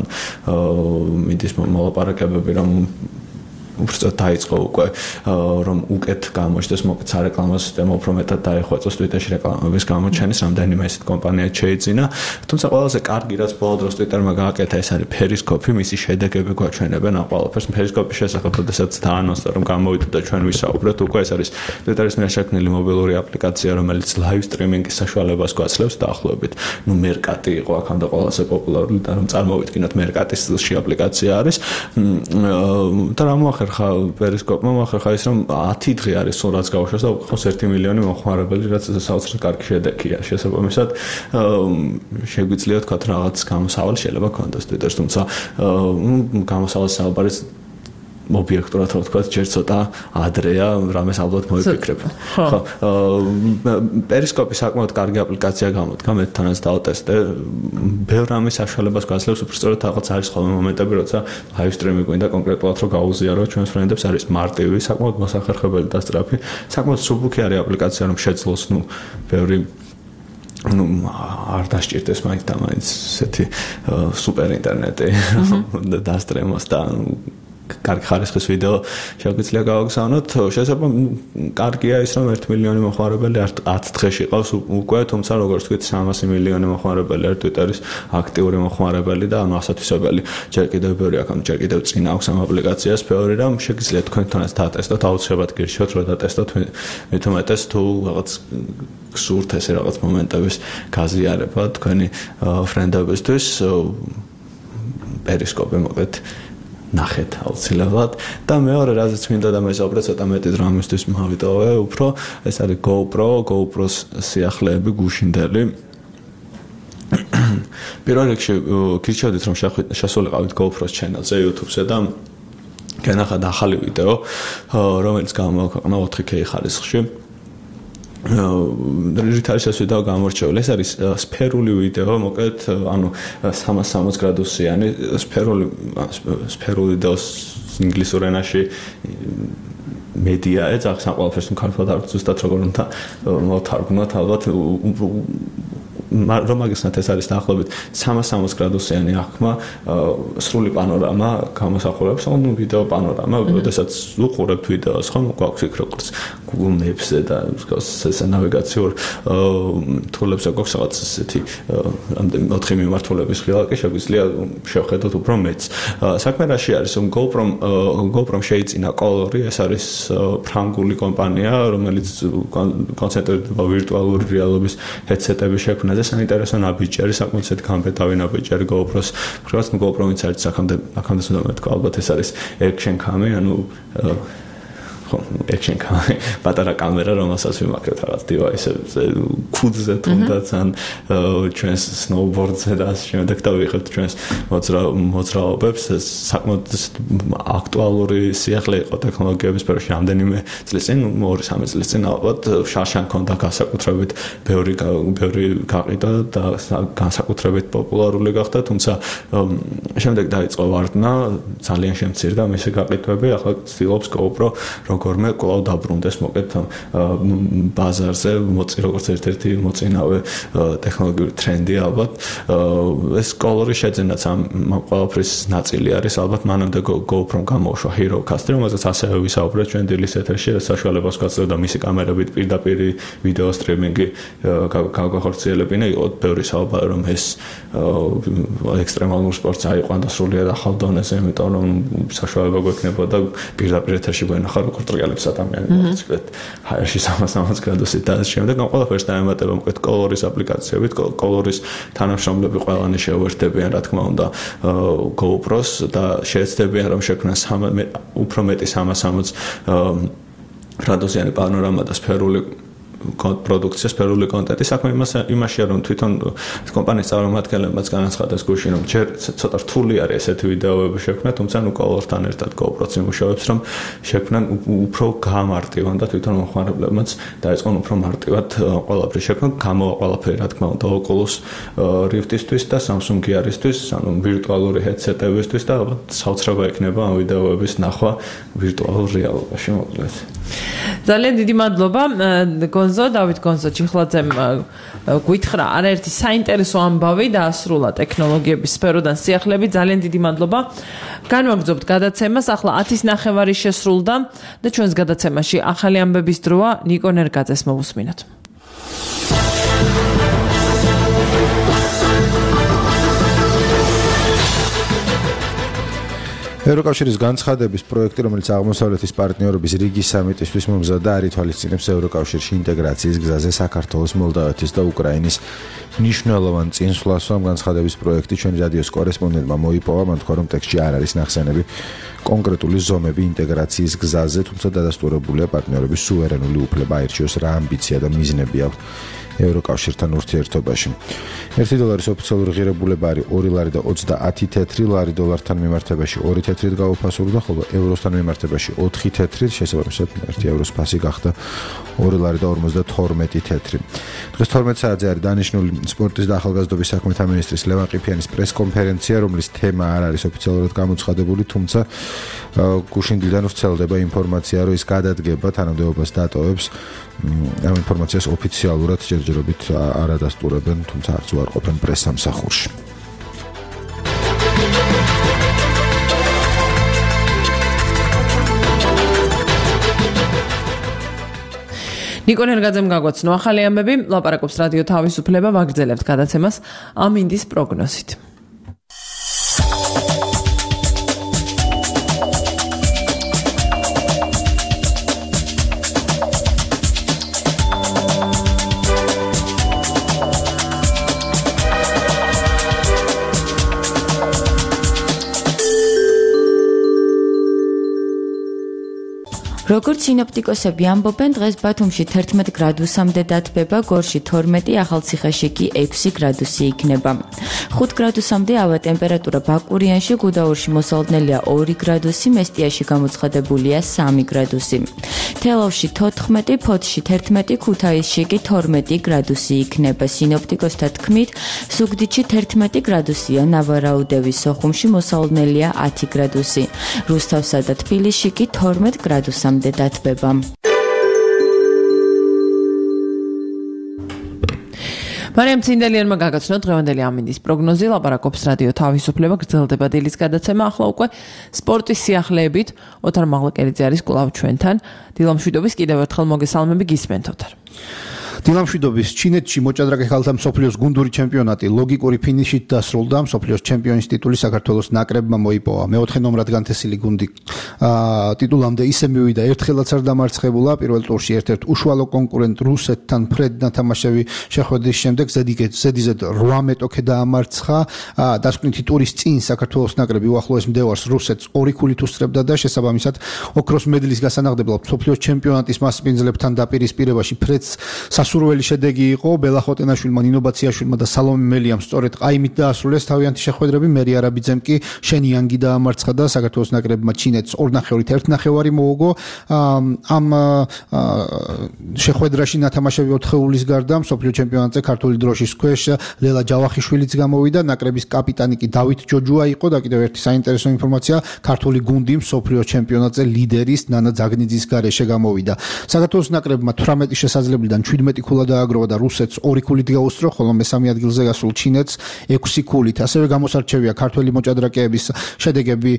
მიდის მოლაპარაკებები, რომ უბრალოდ დაიწყო უკვე რომ უკეთ გამოჩნდეს მოკლედ სარეკლამო სისტემა უფრო მეტად დაეხვეწოს ტვიტერში რეკლამების გამოჩენის რამდენიმე ესეთ კომპანია შეეძინა. თუმცა ყველაზე კარგი რაც ბოლო დროს ტვიტერმა გააკეთა ეს არის პერისკოპი, მისი შედეგები გვაჩვენებენ ამ ყველაფერს. პერისკოპის შესახებ შესაძაც დაანონსდა რომ გამოვიდა და ჩვენ ვისაუბრეთ, უკვე ეს არის ტვიტერის მიერ შექმნილი მობილური აპლიკაცია, რომელიც ლაივ სტრიმინგის საშუალებას გვაძლევს დაახლოებით. ნუ მერკატი იყო აქამდე ყველაზე პოპულარული და რომ წარმოვიდგინოთ მერკატის სტილში აპლიკაცია არის. და რა მოახერხა პერისკოპმა მოახერხა ის რომ ათი დღე არის სულ რაც გავუშვეს და უყავს ერთი მილიონი მოხმარებელი, რაც საოცრად კარგი შედეგია. შესაბამისად შეგვიძლია თქვა რაღაც გამოსავალი შეიძლება ქონდეს ტვიტერს, თუმცა გამოსავალს საუბარიც ობიექტურად რა თქვა, ჯერ ცოტა ადრეა, რამეს ალბათ მოიფიქრებ. ხო, პერისკოპი საკმაოდ კარგი აპლიკაცია გამოდგა, მე თანაც დავტესტე. ბევრ რამის საშუალებას გვაძლევს, უბრალოდ რაღაც არის ხოლმე მომენტები, როცა ლაივ სტრიმინგი გვინდა კონკრეტულად რომ გაუზიარო ჩვენს ფრენდებს, არის მარტივი, საკმაოდ მოსახერხებელი და სწრაფი. საკმაოდ სუბუქი არის აპლიკაცია, რომ შეძლოს, ნუ ბევრი ну არ დასჭირდეს მაინც და მაინც ესეთი სუპერ ინტერნეტი დასტრემოს და კარგი ხარისხის ვიდეო შეგვიძლია გავაგზავნოთ. შესაძლოა კარგია ის რომ ერთი მილიონი მოხმარებელი ათ დღეში ყავს უკვე, თუმცა როგორც ვთქვით სამასი მილიონი მოხმარებელი არის ტვიტერის აქტიური მოხმარებელი და ანუ ასათვისებელი. ჯერ კიდევ ბევრი აქ ჯერ კიდევ წინ აქვს ამ აპლიკაციას ბევრი რამ შეგიძლიათ თქვენთანაც დატესტოთ, აუცილებლად გირჩევთ რომ დატესტოთ, მით უმეტეს თუ რაღაც გსურთ ესე რაღაც მომენტების გაზიარება თქვენი ფრენდებისთვის პერისკოპი მოკლედ ნახეთ აუცილებლად. და მეორე რაზეც მინდა და მესაუბრე ცოტა მეტი დრო ამისთვის მოვიტოვე, უფრო ეს არის GoPro, GoPro-ს სიახლეები გუშინდელი. პირველ რიგში გირჩევდით რომ შესულიყავით GoPro-ს channel-ზე YouTube-ზე და განახად ახალი ვიდეო, რომელიც გამოაქვეყნა ოთხი კეი ხარისხში. რითარის ეს ვიდეო გამორჩეული? ეს არის სფერული ვიდეო, მოკლედ, ანუ სამას სამოცი გრადუსიანი სფერული სფერული ვიდეოს ინგლისურ ენაში მედია ეძახს ამ ყველაფერს, თუ ქართულად არ ზუსტად როგორ უნდა მოვთარგმნოთ, ალბათ რომ მაგისნათ ეს არის დაახლოებით სამას სამოცი გრადუსიანი აღქმა, სრული პანორამა გამოსახულებს, ანუ ვიდეო პანორამა, როდესაც უყურებთ ვიდეოს, ხომ გვაქვს იქ როგორც Google Maps-ზე და ეს ნავიგაციურ თულებზე გვაქვს რაღაც ესეთი რამდენი ოთხი მიმართულების ხილაკი, შეგვიძლია შევხედოთ უფრო მეც. საქმე რაში არის, რომ GoPro GoPro შეიძინა კოლორი, ეს არის ფრანგული კომპანია, რომელიც კონცენტრირდება ვირტუალური რეალობის ჰედსეტების შექმნაზე. საინტერესო ნაბიჯი, საკმაოდ ისეთი გამბედავი ნაბიჯი GoPro-ს. მხრივაც GoPro-იც არის აქამდე აქამდე უნდა მეთქვა, ალბათ ეს არის action cam, ანუ ხო, action cam, პატარა კამერა, რომელსაც ვიმაქრებთ რაღაც device-ებზე, ქუდზე თუნდაც ან ჩვენს snowboard-ზე და ასე შემდეგ და ვიღებთ ჩვენს მოძრაობებს. საკმაოდ აქტუალური სიახლე იყო ტექნოლოგიების სფეროში რამდენიმე წლის წინ, ორი სამი წლის წინ ალბათ შარშან ქონდა განსაკუთრებით ბევრი ბევრი გაყიდა და განსაკუთრებით პოპულარული გახდა, თუმცა შემდეგ დაიწყო ვარდნა, ძალიან შემცირდა მისი გაყიდვები, ახლა ცდილობს GoPro როგორმე კვლავ დაბრუნდეს მოკლედ ბაზარზე, მოწი როგორც ერთ-ერთი მოწინავე ტექნოლოგიური ტრენდი ალბათ. ეს კოლორი შეძენაც ამ ყველაფრის ნაწილი არის, ალბათ მანამდე GoPro-მ გამოუშვა HeroCast-ი, რომელზეც ასევე ვისაუბრეთ ჩვენ დილის ეთერში, ეს საშუალებას გვაძლევდა მისი კამერებით პირდაპირ ვიდეო სტრიმინგი გაგვახორციელებინა. იყო ბევრი საუბარი რომ ეს ექსტრემალურ სპორტს აიყვანდა სრულიად ახალ დონეზე, იმიტომ რომ საშუალება გვექნებოდა პირდაპირ ეთერში გვენახა როგორ ტრიალებს ადამიანებს, ვთქვით, ჰაერში სამას სამოცი გრადუსით და ამ შემდეგ ამ ყველაფერს დაემატება მოკლედ კოლორის აპლიკაციებით, კოლორის თანამშრომლები ყველანი შეუერთდებიან, რა თქმა უნდა, GoPro-ს და შეეცდებიან რომ შექმნას უფრო მეტი სამას სამოცი გრადუსიანი პანორამა და სფერული პროდუქცია, სფერული კონტენტი. საქმე იმაშია, რომ თვითონ კომპანიის წარმომადგენლებმაც განაცხადეს გუშინ, რომ ჯერ ცოტა რთული არის ესეთი ვიდეოები შექმნა, თუმცა ნუ კოლორთან ერთად GoPro-ც იმუშავებს, რომ შექმნან უფრო გამარტივან და თვითონ მომხმარებლებმაც დაიწყონ უფრო მარტივად ყველაფერი შექმნა, გამოვა ყველაფერი რა თქმა უნდა Oculus Rift-ისთვის და Samsung Gear-ისთვის, ანუ ვირტუალური headset-ებისთვის და ალბათ საოცრება იქნება ამ ვიდეოების ნახვა ვირტუალურ რეალობაში მოკლედ. ძალიან დიდი მადლობა გონზო, დავით გონზო ჩიხლაძემ გვითხრა არაერთი საინტერესო ამბავი დაასრულა ტექნოლოგიების სფეროდან სიახლეები. ძალიან დიდი მადლობა. განვაგრძობთ გადაცემას. ახლა ათის ნახევარი შესრულდა და ჩვენს გადაცემაში ახალი ამბების დროა. ნიკო ნერგაძეს მოვუსმინოთ. ევროკავშირის განცხადების პროექტი, რომელიც აღმოსავლეთის პარტნიორობის რიგის სამიტისთვის მომზადდა, არ ითვალისწინებს ევროკავშირში ინტეგრაციის გზაზე საქართველოს, მოლდავეთის და უკრაინის მნიშვნელოვან წინსვლას. ამ განცხადების პროექტი ჩვენი რადიოს კორესპონდენტმა მოიპოვა, მან თქვა, რომ ტექსტში არ არის ნახსენები კონკრეტული ზომები ინტეგრაციის გზაზე, თუმცა დადასტურებულია პარტნიორების სუვერენული უფლება აირჩიოს რა ამბიცია და მიზნები აქვს ევროკავშირთან ურთიერთობაში. ერთი დოლარის ოფიციალური ღირებულება არის ორი ლარი და ოცდაათი თეთრი, ლარი დოლართან მიმართებაში ორი თეთრით გაუფასურდა, ხოლო ევროსთან მიმართებაში ოთხი თეთრით, შესაბამისად ერთი ევროს ფასი გახდა ორი ლარი და ორმოცდათორმეტი თეთრი. დღეს თორმეტ საათზე არის დანიშნული სპორტის და ახალგაზრდობის საქმეთა მინისტრის ლევან ყიფიანის პრესკონფერენცია, რომლის თემა არ არის ოფიციალურად გამოცხადებული, თუმცა გუშინდლიდან ვრცელდება ინფორმაცია, რომ ის გადადგება თანამდებობას დატოვებს. ამ ინფორმაციას ოფიციალურად ჯერჯერობით არ ადასტურებენ, თუმცა არც უარყოფენ პრესსამსახურში. ნიკო ნერგაძემ გაგვაცნო ახალი ამბები, ლაპარაკობს რადიო თავისუფლება, ვაგრძელებთ გადაცემას ამინდის პროგნოზით. როგორც სინოპტიკოსები ამბობენ, დღეს ბათუმში თერთმეტ გრადუსამდე დათბება, გორში თორმეტი, ახალციხეში კი ექვსი გრადუსი იქნება. ხუთ გრადუსამდე ავა ტემპერატურა ბაკურიანში, გუდაურში მოსალოდნელია ორი გრადუსი, მესტიაში გამოცხადებულია სამი გრადუსი. თელავში თოთხმეტი, ფოთში თერთმეტი, ქუთაისში კი თორმეტი გრადუსი იქნება. სინოპტიკოსთა თქმით, ზუგდიდში თერთმეტი გრადუსია, ნავარაუდევის სოხუმში მოსალოდნელია ათი გრადუსი. რუსთავსა და თბილისში კი თორმეტ გრადუსამდე დათბება. მარიამ ცინდელიანმა გაგაცნო დღევანდელი ამინდის პროგნოზი, ლაპარაკობს რადიო თავისუფლება, გრძელდება დილის გადაცემა, ახლა უკვე სპორტის სიახლეებით. ოთარ მაღლაკერიძე არის კვლავ ჩვენთან. დილამშვიდობის კიდევ ერთხელ მოგესალმები, გისმენთ ოთარ. დილამშვიდობის ჩინეთში მოჭადრაკე ქალთა მსოფლიოს გუნდური ჩემპიონატი ლოგიკური ფინიშით დასრულდა. მსოფლიოს ჩემპიონის ტიტული საქართველოს ნაკრებმა მოიპოვა. მეოთხე ნომრად განთესილი გუნდი ტიტულამდე ისე მივიდა, ერთხელაც არ დამარცხებულა. პირველ ტურში ერთ-ერთ უშუალო კონკურენტ რუსეთთან ფრედ ნათამაშები შეხვედრის შემდეგ ზედიზედ რვა მეტოქე დაამარცხა. დასკვნითი ტურის წინ საქართველოს ნაკრები უახლოეს მდევარს რუსეთს ორი ქულით უსწრებდა და შესაბამისად ოქროს მედლის გასანახებლად მსოფლიოს ჩემპიონატის მასპინძლებთან დაპირისპირებაში ფრედს სასურველი შედეგი იყო. ბელა ხოტენაშვილმა, ნინო ბაციაშვილმა და სალომე მელიამ სწორედ ყაიმით დაასრულეს თავიანთი შეხვედრები. მერი არაბიძემ კი შენიანგი დაამარცხა და საქართველოს ნაკრებმა ჩინეთს ორნახევრით ერთნახევარი მოუგო. ამ შეხვედრაში ნათამაშები ოთხეულის გარდა მსოფლიო ჩემპიონატზე ქართული დროშის ქვეშ ლელა ჯავახიშვილიც გამოვიდა. ნაკრების კაპიტანი კი დავით ჯოჯუა იყო და კიდევ ერთი საინტერესო ინფორმაცია, ქართული გუნდი მსოფლიო ჩემპიონატზე ლიდერის ნანა ძაგნიძის გარეშე გამოვიდა. საქართველოს ნაკრებმა თვრამეტი შესაძლებელიდან შვიდმეტი ქულა დააგროვა და რუსეთს ორი ქულით გაუსწრო, ხოლო მესამე ადგილზე გასულ ჩინეთს ექვსი ქულით. ასევე გამოსარჩევია ქართველი მოჭადრაკეების შედეგები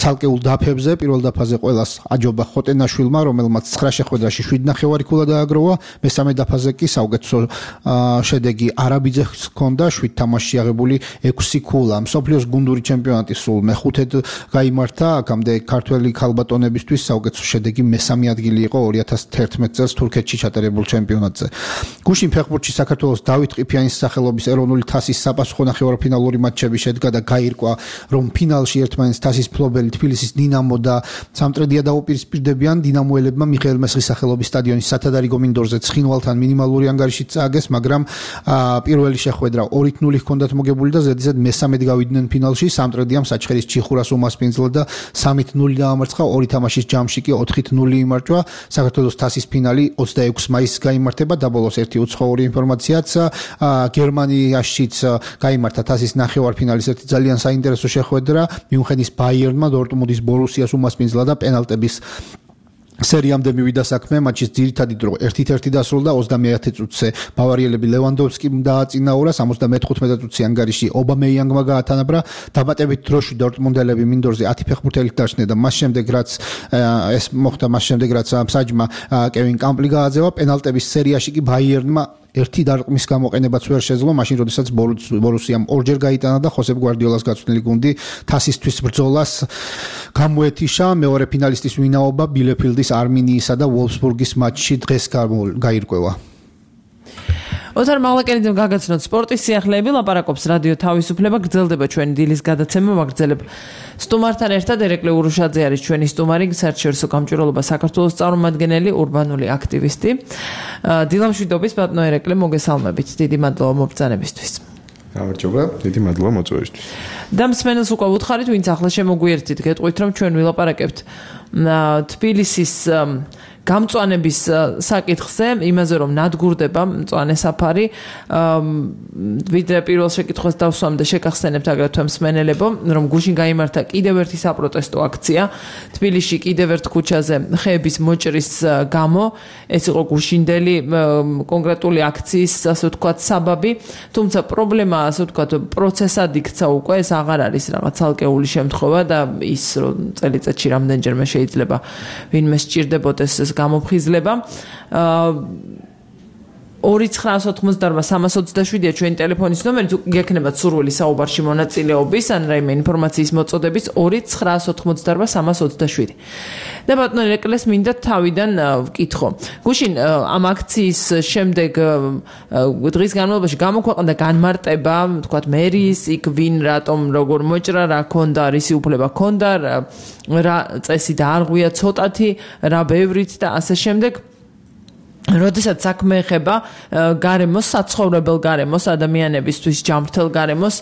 ცალკეულ დაფებზე. პირველ დაფაზე ყველას აჯობა ხოტენაშვილმა, რომელმაც ცხრა შეხვედრაში შვიდ ნახევარი ქულა დააგროვა. მესამე დაფაზე კი საუკეთესო შედეგი არაბიძეს ჰქონდა, შვიდ თამაშში აღებული ექვსი ქულა. მსოფლიოს გუნდური ჩემპიონატი სულ მეხუთედ გაიმართა. აქამდე ქართველი ქალბატონებისთვის საუკეთესო შედეგი მესამე ადგილი იყო ორი ათას თერთმეტ წელს თურქეთში ჩატარებულ ჩემპიონატში. ჩემპიონატზე. გუშინ ფეხბურთში საქართველოს დავით ყიფიანის სახელობის ეროვნული თასის საპასუხო ნახევარფინალური მატჩები შედგა და გაირკვა, რომ ფინალში ერთმანეთს თასის მფლობელი თბილისის დინამო და სამტრედია დაუპირისპირდებიან. დინამოელებმა მიხეილ მესხის სახელობის სტადიონის სათადარიგო მინდორზე ცხინვალთან მინიმალური ანგარიშით წააგეს, მაგრამ პირველი შეხვედრა ორით ნული ჰქონდათ მოგებული და ზედიზედ მესამედ გავიდნენ ფინალში. სამტრედიამ საჩხერის ჩიხურას უმასპინძლა და სამით ნული დაამარცხა, ორი თამაშის ჯამში კი ოთხით ნული იმარჯვა. საქართველოს თასის ფინალი ოცდაექვსი მაისს გაიმართება და ბოლოს ერთი უცხოური ინფორმაციაც გერმანიაშიც გაიმართა თასის ნახევარფინალის ერთი ძალიან საინტერესო შეხვედრა. მიუნხენის ბაიერნმა დორტმუნდის ბორუსიას უმასპინძლა და პენალტების სერიამდე მივიდა საქმე, მატჩის ძირითადი დრო ერთით ერთი დასრულდა. ოცდამეათე წუთზე ბავარიელები ლევანდოვსკიმ დააწინაურა, სამოცდამეთხუთმეტე წუთში ანგარიში ობამეიანგმა გაათანაბრა. დამატებით დროში დორტმუნდელები მინდორზე ათი ფეხბურთელით დაჩნდნენ და მას შემდეგ რაც ეს მოხდა, მას შემდეგ რაც მსაჯმა კევინ კამპლი გააძევა, პენალტების სერიაში კი ბაიერნმა ერთი დარტყმის გამოყენებაც ვერ შეძლო, მაშინ როდესაც ბორუსიამ ორჯერ გაიტანა და ხოსებ გვარდიოლას გაწვრთნილი გუნდი თასისთვის ბრძოლას გამოეთიშა. მეორე ფინალისტის ვინაობა ბილეფილდის არმინიისა და ვოლფსბურგის მატჩში დღეს გაირკვევა. ოთარ მაღლაკენიძემ გაგაცნოთ სპორტის სიახლეები, ლაპარაკობს რადიო თავისუფლება, გრძელდება ჩვენი დილის გადაცემა, ვაგრძელებ სტუმართან ერთად. ერეკლე ურუშაძე არის ჩვენი სტუმარი, საერთაშორისო გამჭვირვალობა საქართველოს წარმომადგენელი, ურბანული აქტივისტი. დილამშვიდობის ბატონო ერეკლე, მოგესალმებით, დიდი მადლობა მობრძანებისთვის. გამარჯობა, დიდი მადლობა მოწვევისთვის. და მსმენელს უკვე უთხარით, ვინც ახლა შემოგვიერთით, გეტყვით, რომ ჩვენ ვილაპარაკებთ თბილისის გამწვანების საკითხზე, იმაზე რომ ნადგურდება მწვანე საფარი, ვიდრე პირველ შეკითხვას დავსვამ და შეგახსენებთ აგრეთვე მსმენელებო, რომ გუშინ გაიმართა კიდევ ერთი საპროტესტო აქცია თბილისში კიდევ ერთ ქუჩაზე ხეების მოჭრის გამო. ეს იყო გუშინდელი კონკრეტული აქციის, ასე ვთქვათ, საბაბი, თუმცა პრობლემა, ასე ვთქვათ, პროცესად იქცა უკვე, ეს აღარ არის რაღაც ცალკეული შემთხვევა და ის რომ წელიწადში რამდენჯერმე შეიძლება ვინმე სჭირდებოდეს ეს გამოფხიზლება. ორი ცხრაას ოთხმოცდაორმა სამას ოცდაშვიდია ჩვენი ტელეფონის ნომერი, თუ გექნებათ სურვილი საუბარში მონაწილეობის ან რაიმე ინფორმაციის მოწოდების ორი ცხრაას ოთხმოცდაორმა სამას ოცდაშვიდი. და ბატონო ერეკლეს მინდა თავიდან ვკითხო. გუშინ ამ აქციის შემდეგ დღის განმავლობაში გამოქვეყნდა განმარტება, თქვათ მერიის, იქ ვინ რატომ როგორ მოჭრა, რა ქონდა, რისი უფლება ქონდა, რა წესი დაარღვია ცოტათი, რა ბევრით და ასე შემდეგ. როდესაც საქმე ეხება გარემოს, საცხოვრებელ გარემოს, ადამიანებისთვის ჯანმრთელ გარემოს,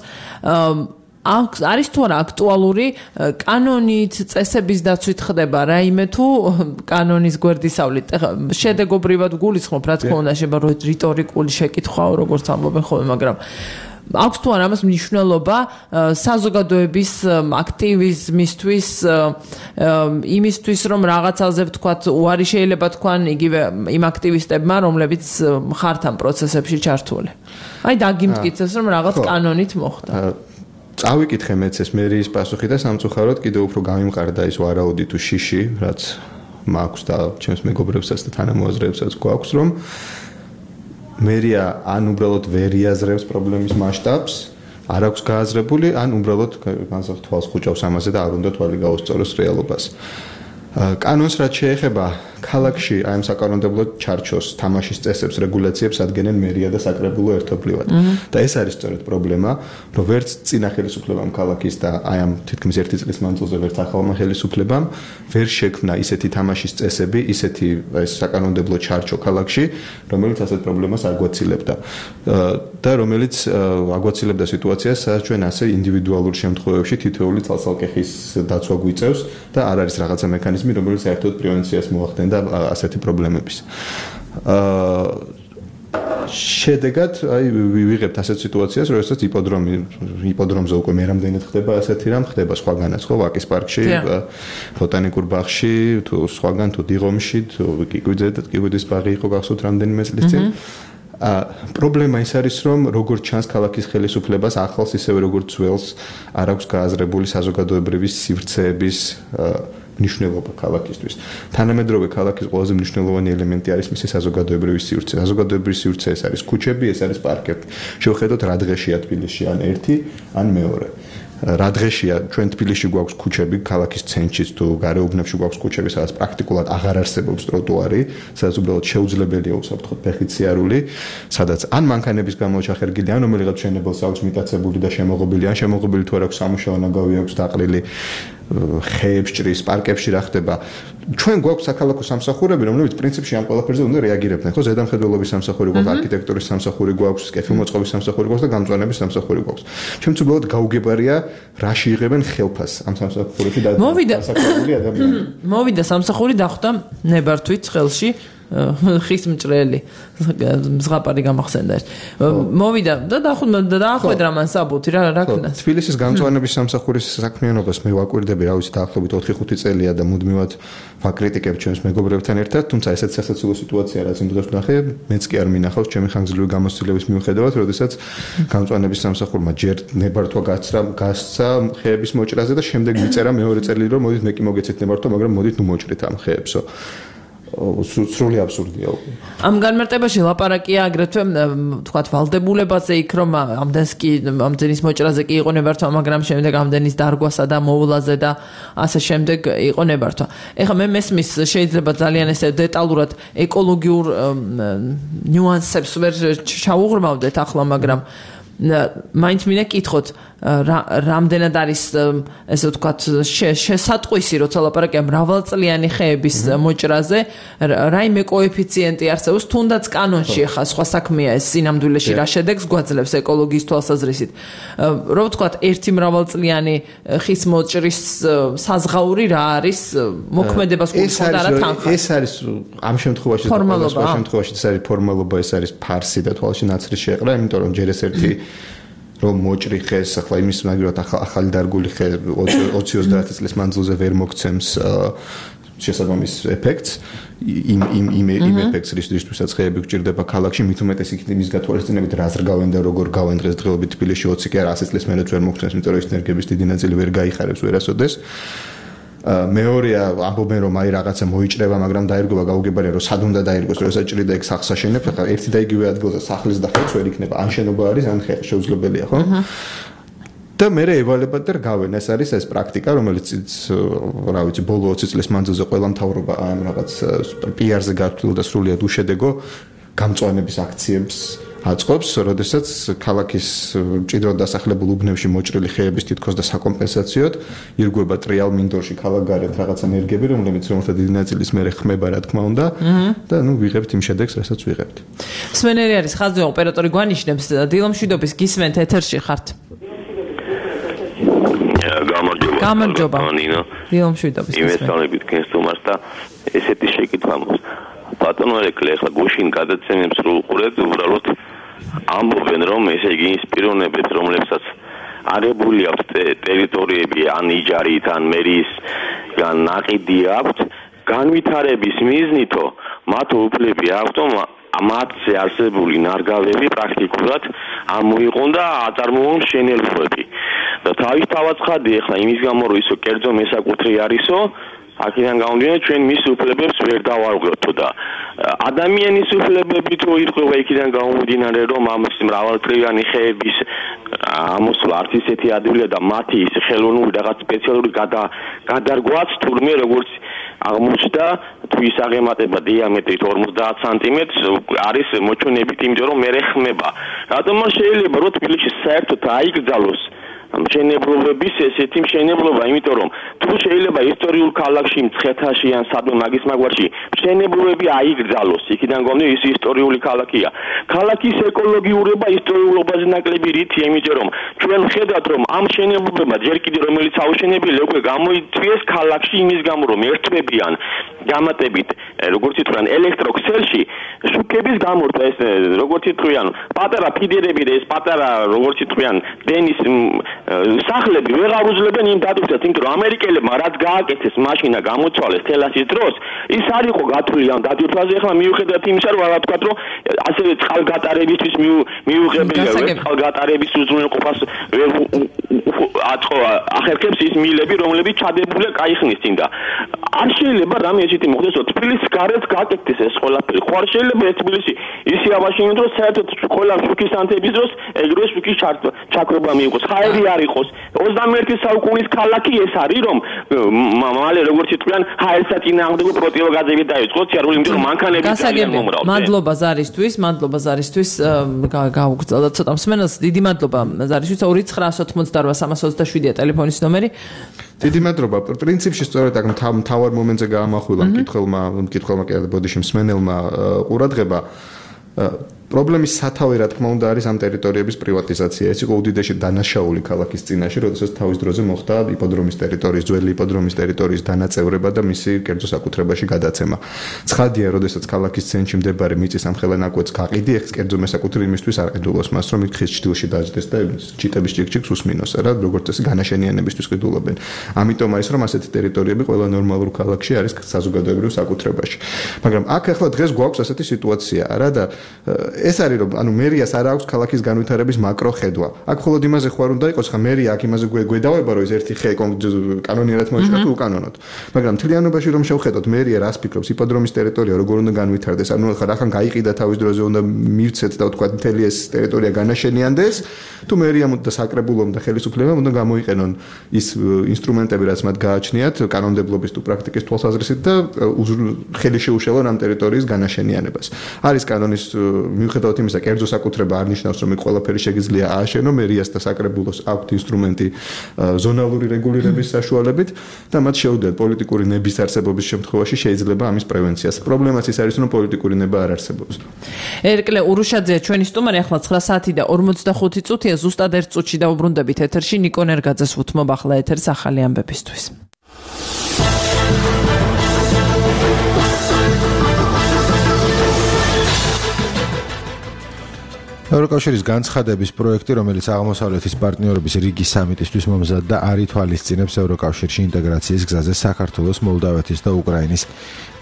არის თუ არა აქტუალური კანონით, წესების დაცვით ხდება რაიმე თუ კანონის გვერდისავლით. შედეგობრივად გულისხმობ, რა თქმა უნდა, შეიძლება რიტორიკული შეკითხვაო, როგორც ამბობენ ხოლმე, მაგრამ აქვს თუ არა ამას მნიშვნელობა საზოგადოების აქტივიზმისთვის, იმისთვის, რომ რაღაცაზე ვთქვათ, უარი შეიძლება თქვან იგივე იმ აქტივისტებმა, რომლებიც ხართ ამ პროცესებში ჩართული. აი დაგიმტკიცეს, რომ რაღაც კანონით მოხდა. წავიკითხე მეც ეს მერიის პასუხი და სამწუხაროდ კიდევ უფრო გამიმყარდა ის ვარაუდი თუ შიში, რაც მაქვს და ჩემს მეგობრებსაც და თანამოაზრეებსაც გვაქვს, რომ მერია ან უბრალოდ ვერ იაზრებს პრობლემის მასშტაბს, არ აქვს გააზრებული, ან უბრალოდ განსაკუთრებით თვალს ხუჭავს ამაზე და არ უნდა თვალი გაუსწოროს რეალობას. კანონს რაც შეეხება ქალაქში აი ამ საკანონმდებლო ჩარჩოს თამაშის წესებს, რეგულაციებს ადგენენ მერია და საკრებულო ერთობლივად. და ეს არის სწორედ პრობლემა, რომ ვერც წინა ხელისუფლებამ ქალაქის და აი ამ თითქმის ერთი წლის მანძილზე ვერც ახალმა ხელისუფლებამ ვერ შექმნა ისეთი თამაშის წესები, ისეთი ეს საკანონმდებლო ჩარჩო ქალაქში, რომელიც ასეთ პრობლემას არ გვაცილებდა. და რომელიც აგვაცილებდა სიტუაციას, სადაც ჩვენ ასე ინდივიდუალურ შემთხვევებში თითოეული ცალ-ცალკეხის დაცვა გვიწევს და არ არის რაღაცა მექანიზმი, რომელიც საერთოდ პრევენციას მოახდენდა ასეთი პრობლემების. აა შედეგად აი ვიღებთ ასეთ სიტუაციას, როდესაც იპოდრომი იპოდრომზე უკვე მე რამდენად ხდება ასეთი რამ, ხდება სხვაგანაც ხო, ვაკის პარკში, ბოტანიკურ ბაღში, თუ სხვაგან თუ დიღომში, თუ კიკვიძე და კიკვიძის ბაღი იყო გახსოვთ რამდენიმე წლის წინ. ა პრობლემა ის არის, რომ როგორც ჩანს ქალაქის ხელისუფლებას ახალს ისევე როგორც ძველს არ აქვს გააზრებული საზოგადოებრივი სივრცეების მნიშვნელობა ქალაქისთვის. თანამედროვე ქალაქის ყველაზე მნიშვნელოვანი ელემენტი არის მისი საზოგადოებრივი სივრცე. საზოგადოებრივი სივრცე ეს არის ქუჩები, ეს არის პარკები. შევხედოთ რა დღეშია თბილისში, ან ერთი, ან მეორე. რა დღეშია ჩვენ თბილისში გვაქვს ქუჩები, ქალაქის ცენტრშიც თუ გარეუბნებში გვაქვს ქუჩები, სადაც პრაქტიკულად აღარ არსებობს ტროტუარი, სადაც უბრალოდ შეუძლებელია უსაფრთხოდ ფეხით სიარული, სადაც ან მანქანების გამო ჩახერგილი, ან რომელიღაც მშენებელს აქვს მიტაცებული და შემოღობილი, ან შემოღობილი თუ არ აქვს სამუშაო ნაგავი აქვს დაყრილი, ხეებს ჭრის, პარკებში რა ხდება. ჩვენ გვაქვს საქალაქო სამსახურები, რომლებიც პრინციპში ამ ყველაფერზე უნდა რეაგირებდნენ. ხო, ზედამხედველობის სამსახური გვაქვს, არქიტექტურის სამსახური გვაქვს, კეთილმოწყობის სამსახური გვაქვს და გამწვანების სამსახური გვაქვს. ჩემს უბრალოდ გაუგებარია, რაში იღებენ ხელფას ამ სამსახურებში და დასაქმებული ადამიანები. მოვიდა სამსახური დახვდა ნებართვით ხელში. ხის მჭრელი ზღაპარი გამახსენდა. მოვიდა და დაახვედრა მან საბუთი რა რა ქნა. თბილისის გამწვანების სამსახურის საქმიანობას მე ვაკვირდები, რა ვიცი, დაახლოებით ოთხი ხუთი წელია და მუდმივად ვაკრიტიკებ ჩვენს მეგობრებთან ერთად, თუმცა ესეც სასაცილო სიტუაცია რაც იმდროს ვნახე, მეც კი არ მინახავს ჩემი ხანგრძლივი გამოცდილების მიუხედავად, როდესაც გამწვანების სამსახურმა ჯერ ნებართვა გასცრა, გასცა ხეების მოჭრაზე და შემდეგ მიწერა მეორე წელი რომ მოდით მე კი მოგეცეთ ნებართვა, მაგრამ მოდით ნუ მოჭრით ამ ხეებსო. სრული აბსურდია. ამ განმარტებაში ლაპარაკია აგრეთვე თქვათ ვალდებულებაზე იქ რომ ამდენს კი ამდენის მოჭრაზე კი იყო ნებართვა, მაგრამ შემდეგ ამდენის დარგვასა და მოვლაზე და ასე შემდეგ იყო ნებართვა. ეხლა მე მესმის შეიძლება ძალიან ესე დეტალურად ეკოლოგიურ ნიუანსებს ვერ ჩაუღრმავდეთ ახლა, მაგრამ მაინც მინდა კითხოთ რამდენად არის ესე ვთქვათ შესატყვისი როცა ლაპარაკია მრავალწლიანი ხეების მოჭრაზე რაიმე კოეფიციენტი არსებობს თუნდაც კანონში ხა სხვა საქმეა ეს სინამდვილეში რა შედეგს გვაძლევს ეკოლოგიის თვალსაზრისით რო ვთქვათ ერთი მრავალწლიანი ხის მოჭრის საზღაური რა არის მოქმედებას გულისხმობდა რა თანხა ეს არის ამ შემთხვევაში სხვა შემთხვევაში ეს არის ფორმალობა ეს არის ფარსი და თვალში ნაცრი შეყრა იმიტომ რომ ჯერ ეს ერთი რომ მოჭრი ხეს ახლა იმის მაგალითად ახალი დარგული ხე ოცი ოცდაათი წლის მანძილზე ვერ მოგცემს შესაბამის ეფექტს იმ იმ იმ იმ ეფექტს რისთვისაც ხეები გჭირდება ქალაქში მით უმეტეს იქით იმის გათვალისწინებით რა ზრგავენ და როგორ გავენ დღესდღეობით თბილისში ოცი კი არა ასი წლის მერეც ვერ მოგცემს იმიტომ რომ ეს ენერგიების დიდი ნაწილი ვერ გაიხარებს ვერასოდეს მეორეა ამბობენ რომ აი რაღაცა მოიჭრება მაგრამ დაირგვა გაუგებარია რომ სად უნდა დაირგვეს რომ ესაჭრი და ეგ სახლს აშენებს ახლა ერთი და იგივე ადგილზე სახლის და ხეც ვერ იქნება ან შენობა არის ან ხე შეუძლებელია ხო და მე ევალებად და გავენ ეს არის ეს პრაქტიკა რომელიც რა ვიცი ბოლო ოცი წლის მანძილზე ყველა მთავრობა ამ რაღაც პი-არზე გართულდა სრულიად უშედეგო გამწვანების აქციებს აწყობს, როდესაც ქალაქის მჭიდროდ დასახლებულ უბნებში მოჭრილი ხეების თითქოს და საკომპენსაციოდ ირგვება ტრიალ მინდორში ქალაქგარეთ რაღაც ენერგიები, რომლებიც რომელთა დიდი ნაწილის მერე ხმება რა თქმა უნდა და ნუ ვიღებთ იმ შედეგს, რასაც ვიღებთ. სვენერი არის ხაზზე ოპერატორი გვანიშნებს დილომშვიდობის გისმენთ ეთერში ხართ. გამარჯობა. გამარჯობა. დილომშვიდობის გისმენთ. იმეცალებით ქენსტუმარს და ესეთი შეკითხვა მაქვს. ბატონო ეკლე ახლა გუშინ გადაცემებს რო უყურეთ უბრალოდ ამბობენ რომ ესე იგი ის პიროვნებებს რომლებსაც არებული აქვს ტერიტორიები ან იჯარით ან მერის ან ნაყიდი აქვს განვითარების მიზნითო მათ უფლები აქვთ რომ ამათზე არსებული ნარგავები პრაქტიკულად ამოიყონ და აწარმოონ მშენებლობები და თავისთავად ხადი ახლა იმის გამო რომ ისო კერძო მესაკუთრე არისო აქედან გამომდინარე ჩვენ მის უფლებებს ვერ დავარღვევთ და ადამიანის უფლებები თუ ირღვევა იქიდან გამომდინარე რომ ამის მრავალწლიანი ხეების ამოსვლა არც ისეთი ადვილია და მათი ის ხელოვნური რაღაც სპეციალური გადარგვაც თურმე როგორც აღმოჩნდა თუ ის აღემატება დიამეტრით ორმოცდაათ სანტიმეტრს არის მოჩვენებით იმიტომ რომ მე ხმება რატომ შეიძლება რომ თბილისში საერთოდ აიგრძალოს მშენებლობების ესეთი მშენებლობა, იმიტომ რომ თუ შეიძლება ისტორიულ ქალაქში, მცხეთაში ან სადმე მაგის მაგვარში მშენებლობები აიგრძალოს, იქიდან გონი ის ისტორიული ქალაქია. ქალაქის ეკოლოგიურობა ისტორიულობაზე ნაკლები რითია, იმიტომ რომ ჩვენ ხედავთ რომ ამ მშენებლობებმა ჯერ კიდევ რომელიც აუშენებია, უკვე გამოიწვიეს ქალაქში იმის გამო რომ ერთვებიან გამატებით, როგორც ითქვიან, ელექტროქსელში შუქების გამორთვა ეს როგორც ითქვიან, პატარა ფიდერები და ეს პატარა როგორც ითქვიან, დენის სახლები ვეღარ უძლებენ იმ დატვირთვას, იმიტომ რომ ამერიკელებმა რაც გააკეთეს მაშინა გამოცვალეს თელასის დროს, ის არ იყო გათვლილი ამ დატვირთვაზე, ახლა მიუხედავად იმისა, რომ რა ვთქვათ, რომ ასევე წყალგატარებისთვის მიუღებელია წყალგატარების უზრუნველყოფას ვერ აწყო ახერხებს ის მილები რომლებიც ჩადებულია კაიხნის წინ და არ შეიძლება რამე ესეთი მოხდეს რომ თბილისის გარეთ გაკეთდეს ეს ყველაფერი ხო არ შეიძლება ეს თბილისი ისე აბაშინოს რომ საერთოდ ყველა შუქის ანთების დროს ეგრევე შუქის ჩაქრობა მიიღოს ხაერი არ იყოს ოცდამეერთე საუკუნის ქალაქი ეს არის რომ მალე როგორც იტყვიან ჰაერსა წინააღმდეგო პროტივოგაზები დაიწყოს სიარული იმიტომ რომ მანქანები ძალიან მომრავლდება მადლობა ზარისთვის მადლობა ზარისთვის გაუგრძელდა ცოტა მსმენელს დიდი მადლობა ზარისთვის ორი ცხრაას ოცდაოთხ სამას ოცდაშვიდია ტელეფონის ნომერი დიდი მადლობა პრინციპში სწორედ აქ მთავარ მომენტზე გაამახვილა მკითხველმა მკითხველმა კი არა ბოდიში მსმენელმა ყურადღება პრობლემის სათავე რა თქმა უნდა არის ამ ტერიტორიების პრივატიზაცია. ეს იყო უდიდესი დანაშაული ქალაქის წინაშე, როდესაც თავის დროზე მოხდა იპოდრომის ტერიტორიის, ძველი იპოდრომის ტერიტორიის დანაწევრება და მისი კერძო საკუთრებაში გადაცემა. ცხადია, როდესაც ქალაქის ცენტრში მდებარე მიწის ამხელა ნაკვეთს გაყიდი, ეს კერძო მესაკუთრე იმისთვის არ ყიდულობს მას, რომ იქ ხის ჭდილში დაждდეს და ჭიტების ჭიქჭიქს უსმინოს, რა, როგორც წესი განაშენიანებისთვის ყიდულობენ. ამიტომ არის რომ ასეთი ტერიტორიები ყველა ნორმალურ ქალაქში არის საზოგადოებრივ საკუთრებაში. მაგრამ აქ ახლა დღეს გვაქვს ასეთი სიტუაცია, რა და ეს არის რომ ანუ მერიას არ აქვს ქალაქის განვითარების მაკრო ხედვა. აქ მხოლოდ იმაზე ხوار უნდა იყოს, ხა მერია აქ იმაზე გვედავება, რომ ეს ერთი ხე კანონიერად მოიჭრა თუ უკანონოდ. მაგრამ მთლიანობაში რომ შევხედოთ, მერია რას ფიქრობს, იპოდრომის ტერიტორია როგორ უნდა განვითარდეს, ანუ ხა რახან გაიყიდა თავის დროზე უნდა მივცეთ და ვთქვა მთელი ეს ტერიტორია განაშენიანდეს, თუ მერიამ და საკრებულომ და ხელისუფლებამ უნდა გამოიყენონ ის ინსტრუმენტები, რაც მათ გააჩნიათ კანონმდებლობის თუ პრაქტიკის თვალსაზრისით და ხელი შეუშალონ ამ ტერიტორიის განაშენიანებას. არის კანონის მიუხედავად იმისა, კერძო საკუთრება არ ნიშნავს, რომ ყველაფერი შეგიძლია ააშენო, მერიას და საკრებულოს აქვთ ინსტრუმენტი ზონალური რეგულირების საშუალებით და მათ შეუძლიათ პოლიტიკური ნების არსებობის შემთხვევაში შეიძლება ამის პრევენციას. პრობლემაც ის არის, რომ პოლიტიკური ნება არ არსებობს. ერკლე ურუშაძეა ჩვენი სტუმარი, ახლა ცხრა საათი და ორმოცდახუთი წუთია, ზუსტად ერთ წუთში დავუბრუნდებით ეთერში. ნიკო ნერგაძეს უთმობ ახლა ეთერს ახალი ამბებისთვის. ევროკავშირის განცხადების პროექტი, რომელიც აღმოსავლეთის პარტნიორობის რიგის სამიტისთვის მომზადდა, არ ითვალისწინებს ევროკავშირში ინტეგრაციის გზაზე საქართველოს, მოლდავეთის და უკრაინის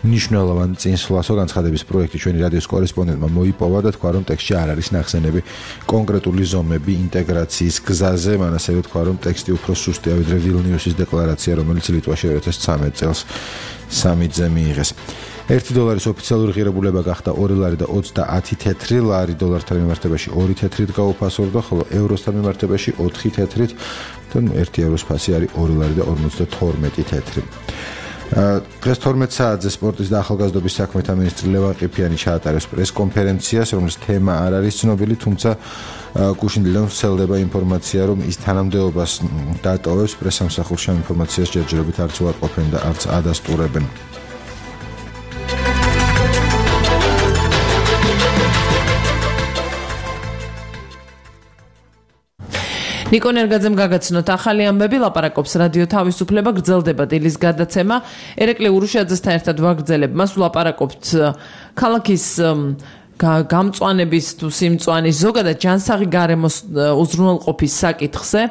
მნიშვნელოვან წინსვლას. განცხადების პროექტი ჩვენი რადიოს კორესპონდენტმა მოიპოვა და თქვა, რომ ტექსტში არ არის ნახსენები კონკრეტული ზომები ინტეგრაციის გზაზე. მან ასევე თქვა, რომ ტექსტი უფრო სუსტია ვიდრე ვილნიუსის დეკლარაცია, რომელიც ლიტვაში二零一三წელს სამიტზე მიიღეს. ერთი დოლარის ოფიციალური ღირებულება გახდა ორი ლარი და ოცდაათი თეთრი ლარი, დოლართან მიმართებაში ორი თეთრით გაუფასორდა, ხოლო ევროსთან მიმართებაში ოთხი თეთრით, და ერთი ევროს ფასი არის ორი ლარი და ორმოცდათორმეტი თეთრი. დღეს თორმეტ საათზე სპორტის და ახალგაზრდობის საქმეთა მინისტრი ლევან ყიფიანი ჩაატარებს პრესკონფერენციას, რომლის თემა არ არის ცნობილი, თუმცა გუშინდელიდან ვრცელდება ინფორმაცია, რომ ის თანამდებობას დატოვებს. პრესსამსახურში ამ ინფორმაციას ჯერჯერობით არც უარყოფენ და არც ადასტურებენ. ნიკო ნერგაძემ გაგაცნოთ ახალი ამბები, ლაპარაკობს რადიო თავისუფლება, გრძელდება დილის გადაცემა. ერეკლე ურუშაძესთან ერთად ვაგრძელებ მას, ვლაპარაკობთ ქალაქის გამწვანების თუ სიმწვანის ზოგადად ჯანსაღი გარემოს უზრუნველყოფის საკითხზე.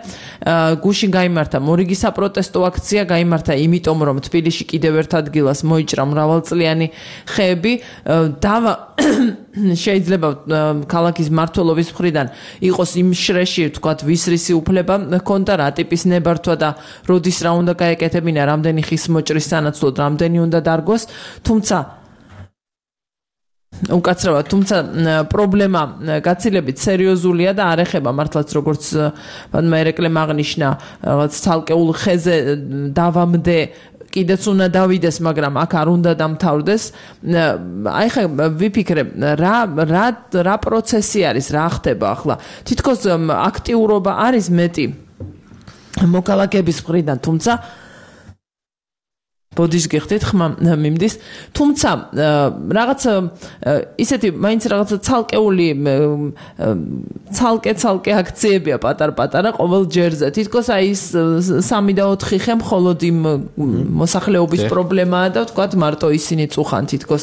გუშინ გაიმართა მორიგი საპროტესტო აქცია, გაიმართა იმიტომ, რომ თბილისში კიდევ ერთ ადგილას მოიჭრა მრავალწლიანი ხეები. დავა შეიძლება ქალაქის მმართველობის მხრიდან იყოს იმ შრეში, ვთქვათ, ვისრისი უფლება ჰქონდა, რა ტიპის ნებართვა და როდის რა უნდა გაეკეთებინა, რამდენი ხის მოჭრის სანაცვლოდ, რამდენი უნდა დარგოს, თუმცა უკაცრავად, თუმცა პრობლემა გაცილებით სერიოზულია და არ ეხება მართლაც როგორც ბანმა ერეკლემ აღნიშნა, რაღაც ცალკეულ ხეზე დავამდე კიდეც უნდა დავიდეს, მაგრამ აქ არ უნდა დამთავრდეს. აი ხა ვიფიქრე, რა რა რა პროცესი არის, რა ხდება ახლა. თითქოს აქტიურობა არის მეტი მოქალაქეების მხრიდან, თუმცა ბოდის გიხდით ხმა მიმდის, თუმცა რაღაც ისეთი მაინც რაღაც ცალკეული ცალკე-ცალკე აქციებია პატარ-პატარა ყოველ ჯერზე. თითქოს აი ის სამი და ოთხი ხე მხოლოდ იმ მოსახლეობის პრობლემაა და ვთქვათ მარტო ისინი წუხან თითქოს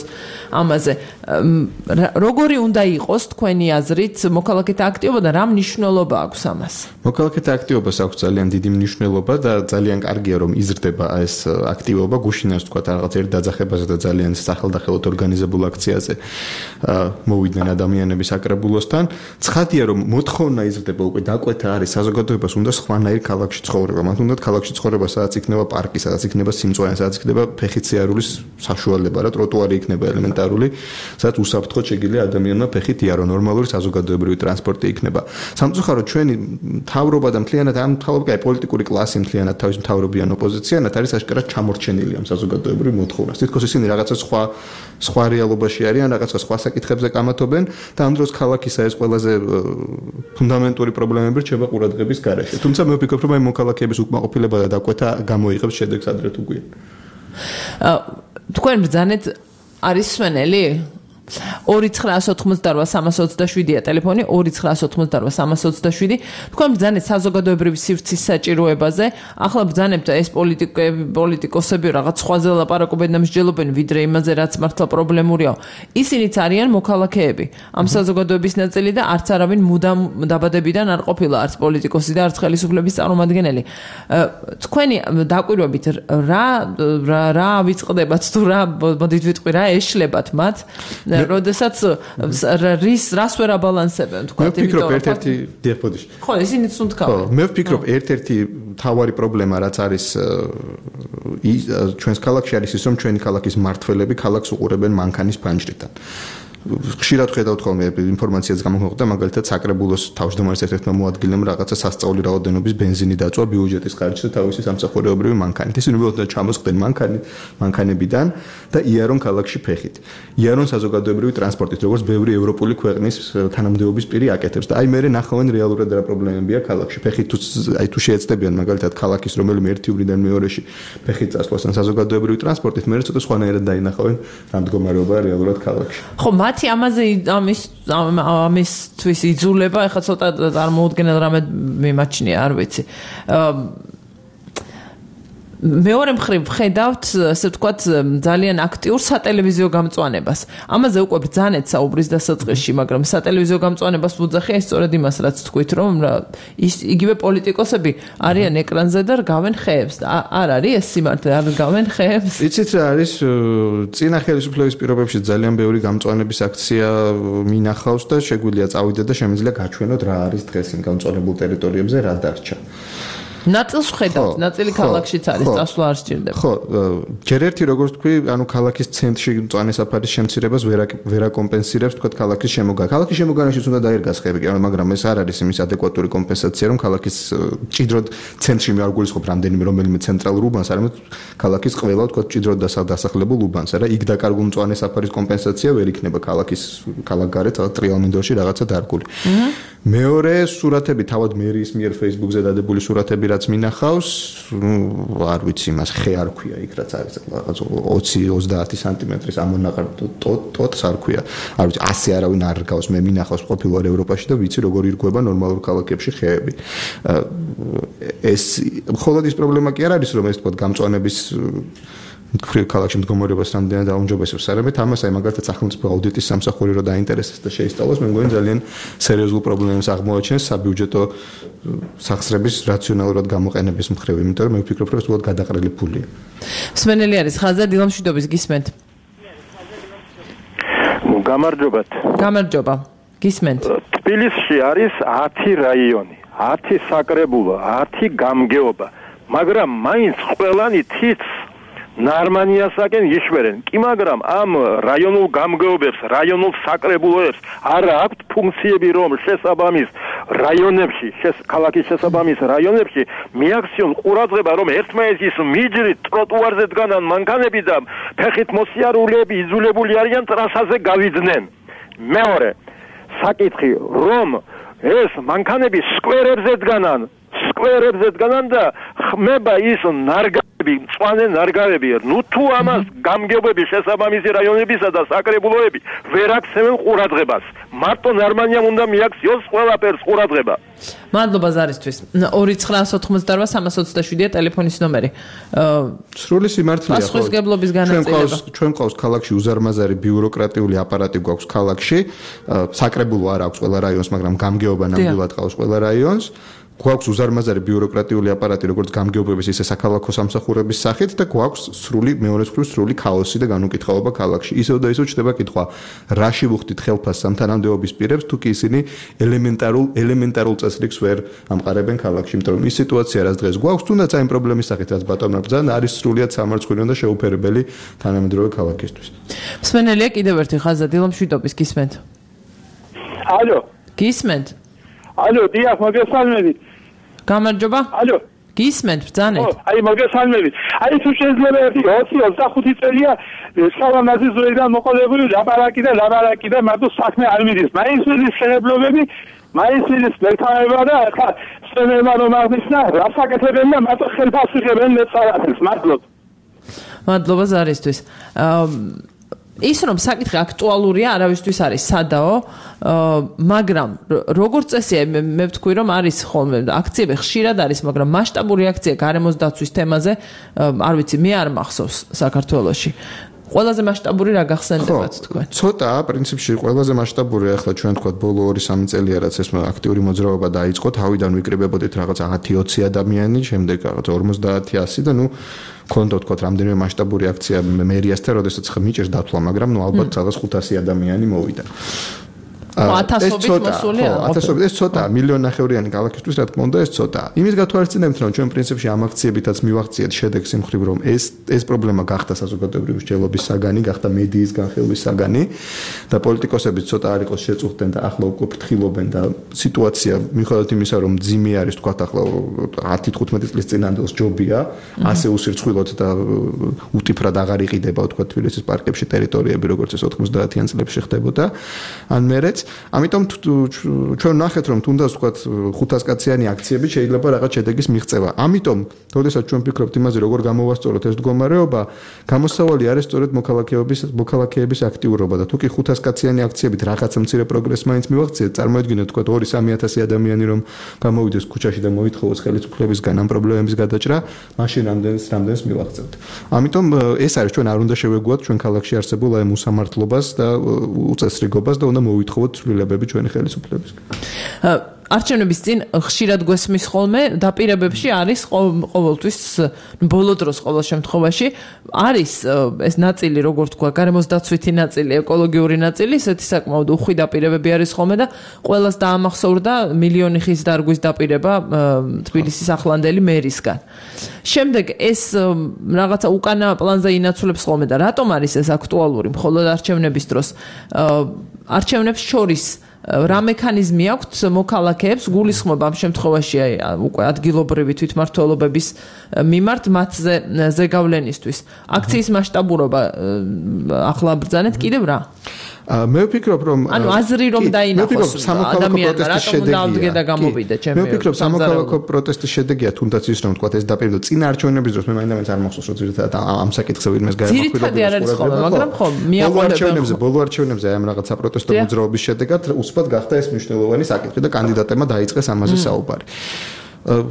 ამაზე. როგორი უნდა იყოს თქვენი აზრით მოქალაქეთა აქტივობა და რა მნიშვნელობა აქვს ამას? მოქალაქეთა აქტივობას აქვს ძალიან დიდი მნიშვნელობა და ძალიან კარგია რომ იზრდება ეს აქტივობა. გუშინას თქვა რაღაც ერთ დაძახებაზე და ძალიან სახელდახელოდ ორგანიზებულ აქციაზე მოვიდნენ ადამიანები საკრებულოსთან. ცხადია რომ მოთხოვნა იზრდება უკვე დაკვეთა არის საზოგადოებას უნდა სხვანაირ ქალაქში ცხოვრება. მათ უნდა ქალაქში ცხოვრება, სადაც იქნება პარკი, სადაც იქნება სიმწვანე, სადაც იქნება ფეხით-სიარულის საშუალება რა ტროტუარი იქნება ელემენტარული, სადაც უსაფრთხოდ შეგიძლია ადამიანმა ფეხით იარო, ნორმალური საზოგადოებრივი ტრანსპორტი იქნება. სამწუხაროდ ჩვენი მთავრობა და მთლიანად ამ მთავრობა პოლიტიკური კლასი მთლიანად თავის მთავრობიან ოპოზიციანად არის აშკარად ჩამორჩენილი ამ საზოგადოებრივ მოთხოვნას. თითქოს ისინი რაღაცა სხვა სხვა რეალობაში არიან, რაღაცა სხვა საკითხებზე კამათობენ და ამ დროს ქალაქისა ეს ყველაზე ფუნდამენტური პრობლემები რჩება ყურადღების გარეშე. თუმცა მე ვფიქრობ, რომ აი მოქალაქეების უკმაყოფილება და დაკვეთა გამოიღებს შედეგს ადრე თუ გვიან. თქვენ ბრძანეთ არის სვენელი ორი ცხრაას ოთხმოცდაოთხ სამას ოცდაშვიდია ტელეფონი ორი ცხრაას ოთხმოცდაოთხ სამას ოცდაშვიდი თქვენ ბრძანეთ საზოგადოებრივი სივრცის საჭიროებაზე ახლა ბრძანებთ ეს პოლიტიკები პოლიტიკოსები რაღაც სხვაზე ლაპარაკობენ და მსჯელობენ ვიდრე იმაზე რაც მართლა პრობლემურია ისინიც არიან მოქალაქეები ამ საზოგადოების ნაწილი და არც არავინ მუდამ დაბადებიდან არ ყოფილა არც პოლიტიკოსი და არც ხელისუფლების წარმომადგენელი თქვენი დაკვირვებით რა რა ვიწყდებათ თუ რა მოდით ვიტყვი რა ეშლებათ მათ როდესაც რის რას ვერ აბალანსებენ თქვა მე ვფიქრობ ერთ-ერთი დიახბოდიშ ხო ისინიც უნდქავენ ხო მე ვფიქრობ ერთ-ერთი თავარი პრობლემა რაც არის ჩვენს ქალაქში არის ის რომ ჩვენი ქალაქის მმართველები ქალაქს უყურებენ მანქანის ფანჯრიდან ხშირად ხედავთ ხოლმე ინფორმაციას გამოხდა მაგალითად საკრებულოს თავმჯდომარის ერთ-ერთმა მოადგილემ რაღაცა სასწაული რაოდენობის ბენზინი დაწვა ბიუჯეტის ხარჯზე თავისი სამსახურეობრივი მანქანით. ისინი უბრალოდ ჩამოსხდნენ მანქანი მანქანებიდან და იარონ ქალაქში ფეხით. იარონ საზოგადოებრივი ტრანსპორტით, როგორც ბევრი ევროპული ქვეყნის თანამდებობის პირი აკეთებს და აი მე ნახავენ რეალურად რა პრობლემებია ქალაქში. ფეხით თუ აი თუ შეეცდებიან მაგალითად ქალაქის რომელიმე ერთი ურიდან მეორეში ფეხით წასვლას ან საზოგადოებრივი ტრანსპორტით, მე ცოტა სხვანაირად დაინახავენ რა მდგომარეობაა რეალურად ქალაქში. ხო მათი ამაზე ამის ამისთვის იძულება ეხლა ცოტა წარმოუდგენელ რამე მიმაჩნია არ ვიცი მეორე მხრივ ხედავთ ასე ვთქვათ ძალიან აქტიურ სატელევიზიო გამწვანებას ამაზე უკვე ბრძანეთ საუბრის დასაწყისში მაგრამ სატელევიზიო გამწვანებას ვუძახია სწორედ იმას რაც თქვით რომ იგივე პოლიტიკოსები არიან ეკრანზე და რგავენ ხეებს არ არის ეს სიმართლე არ რგავენ ხეებს იცით რა არის წინა ხელისუფლების პირობებში ძალიან ბევრი გამწვანების აქცია მინახავს და შეგვიძლია წავიდეთ და შემიძლია გაჩვენოთ რა არის დღეს იმ გამწვანებულ ტერიტორიებზე რა დარჩა ნაწილს ხედავთ, ნაწილი ქალაქშიც არის, წასვლა არ სჭირდება. ხო, ჯერ ერთი როგორც თქვი, ანუ ქალაქის ცენტრში მწვანე საფარის შემცირებას ვერ ვერ აკომპენსირებს, თქვა ქალაქის შემოგანა. ქალაქის შემოგანაშიც უნდა დაერგას ხეები, მაგრამ ეს არ არის იმის ადეკვატური კომპენსაცია, რომ ქალაქის ჭიდროდ ცენტრში მე არ გულისხმობ რამდენიმე რომელიმე ცენტრალურ უბანს, არამედ ქალაქის ყველა თქვა ჭიდროდ დასახლებულ უბანს, არა, იქ დაკარგულ მწვანე საფარის კომპენსაცია ვერ იქნება ქალაქის ქალაქგარეთ ტრიალ მინდორში რაღაცა დარგული. მეორე სურათები თავად მერის მიერ Facebook-ზე დადებული სურათები რაც მინახავს, არ ვიცი, მას ხე არ ქვია იქ რაც არის რაღაც ოცი ოცდაათი სანტიმეტრის ამონაყარ ტოტს არ ქვია. არ ვიცი, ასე არავინ არ რგავს, მე მინახავს ყოფილვარ ევროპაში და ვიცი როგორ ირგვება ნორმალურ ქალაქებში ხეები. ეს მხოლოდ ის პრობლემა კი არ არის, რომ ეს თქო გამწვანების ქრილ ქალაქში მდგომარეობას რამდენად დაუმჯობესებს, არამედ ამას აი მაგალითად სახელმწიფო აუდიტის სამსახური რო დაინტერესებს და შეისწავლოს, მე მგონი ძალიან სერიოზულ პრობლემებს აღმოაჩენს საბიუჯეტო სახსრების რაციონალურად გამოყენების მხრივ, იმიტომ რომ მე ვფიქრობ, რომ ეს უბრალოდ გადაყრილი ფულია. სვენელი არის ხაზა დილამშვიდობის გისმენთ. გამარჯობათ. გამარჯობა. გისმენთ. თბილისში არის ათი რაიონი, ათი საკრებულო, ათი გამგეობა, მაგრამ მაინც ყველანი თითს ნარმანიასაკენ იშვერენ. კი მაგრამ ამ რაიონულ გამგეობებს, რაიონულ საკრებულოებს არ აქვთ ფუნქციები, რომ შესაბამის რაიონებში, ქალაქის შესაბამის რაიონებში მიაქციონ ყურადღება, რომ ერთმანეთის მიჯრით ტროტუარზე დგანან მანქანები და ფეხით მოსიარულეები იძულებული არიან ტრასაზე გავიძნენ. მეორე საკითხი, რომ ეს მანქანები სკვერებზე დგანან, სკვერებზე დგანან და ხმება ის ნარგავები, მწვანე ნარგავები. ნუ თუ ამას გამგეობები შესაბამისი რაიონებისა და საკრებულოები ვერ აქცევენ ყურადღებას. მარტო ნარმანიამ უნდა მიაქციოს ყველაფერს ყურადღება. მადლობა ზარისთვის. ორი ცხრაას ოთხმოცდაოთხ სამას ოცდაშვიდია ტელეფონის ნომერი. სრული სიმართლეა. პასუხისგებლობის განაწილება. ჩვენ ყავს ქალაქში უზარმაზარი ბიუროკრატიული აპარატი გვაქვს ქალაქში. საკრებულო არ აქვს ყველა რაიონს, მაგრამ გამგეობა ნამდვილად ყავს ყველა რაიონს. გვაქვს უზარმაზარი ბიუროკრატიული აპარატი, როგორც გამგეობების, ისე საქალაქო სამსახურების სახით და გვაქვს სრული მეორე მხრივ სრული ქაოსი და განუკითხაობა ქალაქში. ისევ და ისევ ჩდება კითხვა, რაში ვუხდით ხელფასს სამთანამდებობის პირებს, თუ კი ისინი ელემენტარულ ელემენტარულ წესრიგს ვერ ამყარებენ ქალაქში, იმიტომ რომ ის სიტუაცია, რაც დღეს გვაქვს, თუნდაც აი პრობლემის სახით, რაც ბატონმა ბრძანა, არის სრულიად სამარცხვინო და შეუფერებელი თანამედროვე ქალაქისთვის. მსმენელია კიდევ ერთი ხაზა დილამ შვიდობის გისმენთ. ალო. გისმენთ. ალო, დიახ, მოგესალმებით. გამარჯობა. ალო. გისმენთ, ბრძანეთ. აი, მოგესალმებით. აი, თუ შეიძლება ერთი ოცი ოცდახუთი წელია სკოლამაზის ზურიდან მოყოლებული ლაპარაკი და ლაპარაკი და მარტო საქმე არ მიდის. მაინცის ხელებლობები, მაინცის მეთაება და ახლა სცენერმა რომ აღნიშნა, რასაკეთებენ და მარტო ხელფასს იღებენ მეწარათებს. მადლობ. მადლობა ზარისთვის. ის რომ საკითხი აქტუალურია, არავისთვის არის სადაო, მაგრამ როგორც წესია, მე ვთქვი რომ არის ხოლმე აქციები ხშირად არის, მაგრამ მასშტაბური აქცია გარემოს დაცვის თემაზე, არ ვიცი, მე არ მახსოვს საქართველოში. ყველაზე მასშტაბური რა გახსენდებათ თქვენ? ცოტა, პრინციპში ყველაზე მასშტაბური ახლა ჩვენ თქვა ბოლო ორი სამი წელია რაც ეს აქტიური მოძრაობა დაიწყო, თავიდან ვიკრიბებოდით რაღაც ათი ოცი ადამიანი, შემდეგ რაღაც ორმოცდაათი ასი და ნუ კონდო თქვა რამდენიმე მასშტაბური აქცია მერიასთან, როდესაც ხმიჭერს დათვლა, მაგრამ ნუ ალბათ რაღაც ხუთასი ადამიანი მოვიდა. ათასობით მოსული არა. ათასობით ეს ცოტა, მილიონნახევრიანი ქალაქისთვის რა თქმა უნდა ეს ცოტა. იმის გათვალისწინებით რომ ჩვენ პრინციპში ამ აქციებითაც მივახციეთ შედეგს იმ ხრივ რომ ეს ეს პრობლემა გახდა საზოგადოებრივი მსჯელობის საგანი, გახდა მედიის განხილვის საგანი და პოლიტიკოსები ცოტა არ იყოს შეწუხდნენ და ახლა უკვე ფრთხილობენ და სიტუაცია მიუხედავად იმისა რომ ძიმე არის თქვა ახლა ათი თხუთმეტი წლის წინანდელს ჯობია, ასე უსირცხვილოდ და უტიფრად აღარ იყიდება თქვა თბილისის პარკებში ტერიტორიები როგორც ეს ოთხმოცდაათიან წლებში ხდებოდა. ან მერეც ამიტომ ჩვენ ნახეთ რომ თუნდაც ვთქვათ ხუთასკაციანი აქციები შეიძლება რაღაც შედეგის მიღწევა. ამიტომ, როდესაც ჩვენ ვფიქრობთ იმაზე, როგორ გამოვასწოროთ ეს მდგომარეობა, გამოსავალი არის სწორედ მოქალაქეობის მოქალაქეების აქტიურობა და თუ კი ხუთასკაციანი აქციებით რაღაც მცირე პროგრესი მაინც მივახციეთ, წარმოედგინეთ ვთქვათ ორი სამი ათასი ადამიანი რომ გამოვიდეს ქუჩაში და მოითხოვოს ხელისუფლებისგან ამ პრობლემების გადაჭრა, მაშინ რამდენს რამდენს მივახცევთ. ამიტომ ეს არის ჩვენ არ უნდა შევეგუოთ ჩვენ ქალაქში არსებულ აი უსამართლობას და უწესრიგობას და უნდა მოვითხოვოთ ცვლილებები ჩვენი ხელისუფლებისგან. არჩევნების წინ ხშირად გვესმის ხოლმე დაპირებებში არის ყოველთვის ბოლო დროს ყოველ შემთხვევაში არის ეს ნაწილი როგორ თქვა გარემოს დაცვითი ნაწილი, ეკოლოგიური ნაწილი, ესეთი საკმაოდ უხვი დაპირებები არის ხოლმე და ყველას დაამახსოვრდა მილიონი ხის დარგვის დაპირება თბილისის ახლანდელი მერისგან. შემდეგ ეს რაღაცა უკანა პლანზე ინაცვლებს ხოლმე და რატომ არის ეს აქტუალური მხოლოდ არჩევნების დროს? არჩევნებს შორის რა მექანიზმი აქვთ მოქალაქეებს გულისხმობა ამ შემთხვევაში აი უკვე ადგილობრივი თვითმმართველობების მიმართ მათზე ზეგავლენისთვის. აქციის მასშტაბურობა ახლა ბრძანეთ კიდევ რა? მე ვფიქრობ რომ ანუ აზრი რომ დაინახოს ადამიანმა რატომ დაუდგე და გამოვიდა ჩემი. მე ვფიქრობ სამოქალაქო პროტესტის შედეგია თუნდაც ის რომ თქვა ეს დაპირება წინა არჩევნების დროს მე მაინც არ მახსოვს რომ ძირითადად ამ საკითხზე ვინმეს გაემახვილა. ძირითადი არ არის ხოლმე, მაგრამ ხო მიაყოლებს ბოლო არჩევნებზე აი ამ რაღაც საპროტესტო მოძრაობის შედეგად უცბად გახდა ეს მნიშვნელოვანი საკითხი და კანდიდატებმა დაიწყეს ამაზე საუბარი.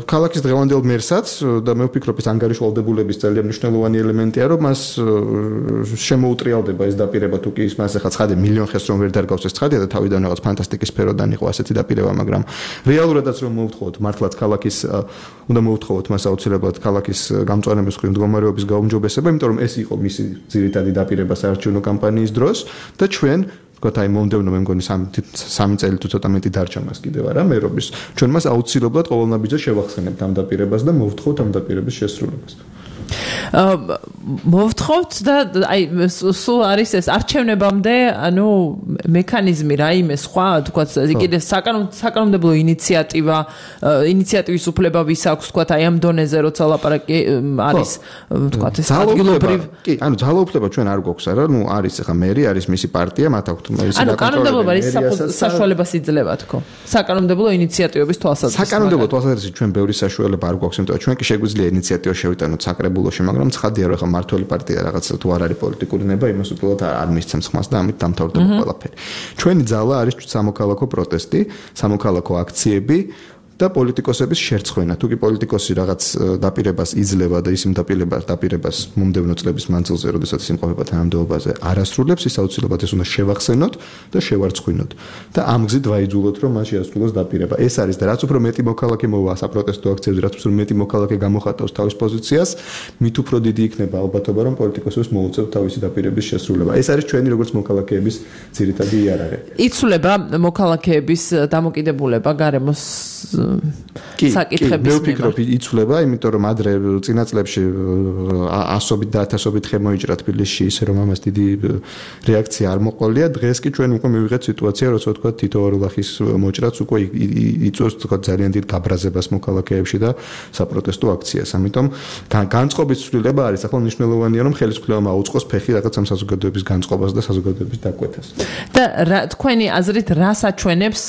ქალაქის დღევანდელ მერსაც და მე ვფიქრობ ეს ანგარიშვალდებულების ძალიან მნიშვნელოვანი ელემენტია რომ მას შემოუტრიალდება ეს დაპირება თუ კი ის მას ახლა ცხადე მილიონ ხეს რომ ვერ დარგავს ეს ცხადია და თავიდან რაღაც ფანტასტიკის სფეროდან იყო ასეთი დაპირება, მაგრამ რეალურადაც რომ მოვთხოვოთ მართლაც ქალაქის უნდა მოვთხოვოთ მას აუცილებლად ქალაქის გამწვანების მხრივ მდგომარეობის გაუმჯობესება, იმიტომ რომ ეს იყო მისი ძირითადი დაპირება საარჩევნო კამპანიის დროს და ჩვენ ვთქვათ აი მომდევნო მე მგონი სამი წელი თუ ცოტა მეტი დარჩა მას კიდევ არა მერობის ჩვენ მას აუცილებლად ყოველნაბიჯზე შევახსენებთ ამ დაპირებას და მოვთხოვთ ამ დაპირების შესრულებას. მოვთხოვთ და აი სულ არის ეს არჩევნებამდე ანუ მექანიზმი რაიმე სხვა თქვათ კიდე საკანონმდებლო ინიციატივა ინიციატივის უფლება ვის აქვს თქვათ აი ამ დონეზე როცა ლაპარაკი არის თქვათ ეს ადგილობრივ კი ანუ ძალაუფლება ჩვენ არ გვაქვს არა ნუ არის ახლა მერი არის მისი პარტია მათ აქვთ ის ანუ კანონმდებლობა ის საშუალებას იძლევა თქო საკანონმდებლო ინიციატივების თვალსაზრისით საკანონმდებლო თვალსაზრისით ჩვენ ბევრი საშუალება არ გვაქვს იმიტომ რომ ჩვენ კი შეგვიძლია ინიციატივა შევიტანოთ საკრებულოში მაგრამ ცხადია რომ ახლა მართველი პარტია რაღაც თუ არ არის პოლიტიკური ნება იმას უბრალოდ არ მისცემს ხმას და ამით დამთავრდება ყველაფერი ჩვენი ძალა არის სამოქალაქო პროტესტი სამოქალაქო აქციები და პოლიტიკოსების შერცხვენა. თუ კი პოლიტიკოსი რაღაც დაპირებას იძლევა და ის იმ დაპირებას დაპირებას მომდევნო წლების მანძილზე, როდესაც ის იმყოფება თანამდებობაზე, არ ასრულებს, ის აუცილებლად ეს უნდა შევახსენოთ და შევარცხვინოთ. და ამ გზით ვაიძულოთ, რომ მას შეასრულოს დაპირება. ეს არის და რაც უფრო მეტი მოქალაქე მოვა საპროტესტო აქციებზე, რაც უფრო მეტი მოქალაქე გამოხატავს თავის პოზიციას, მით უფრო დიდი იქნება ალბათობა, რომ პოლიტიკოსებს მოუწევთ თავისი დაპირების შესრულება. ეს არის ჩვენი როგორც მოქალაქეების ძირითადი იარაღი. იცვლება მოქალაქეების დამოკიდებულება გარემოს საკითხების მე ვფიქრობ, იცვლება, იმიტომ რომ ადრე წინა წლებში ასობით და ათასობით ხე მოიჭრა თბილისში, ისე რომ ამას დიდი რეაქცია არ მოყოლია. დღეს კი ჩვენ უკვე მივიღეთ სიტუაცია, როცა თქვა თითო ორულახის მოჭრაც უკვე იწვევს თქვა ძალიან დიდ გაბრაზებას მოქალაქეებში და საპროტესტო აქციას. ამიტომ განწყობის ცვლილება არის ახლა მნიშვნელოვანია, რომ ხელისუფლებამ აუწყოს ფეხი რაღაც ამ საზოგადოების განწყობას და საზოგადოების დაკვეთას. და თქვენი აზრით რა საჩვენებს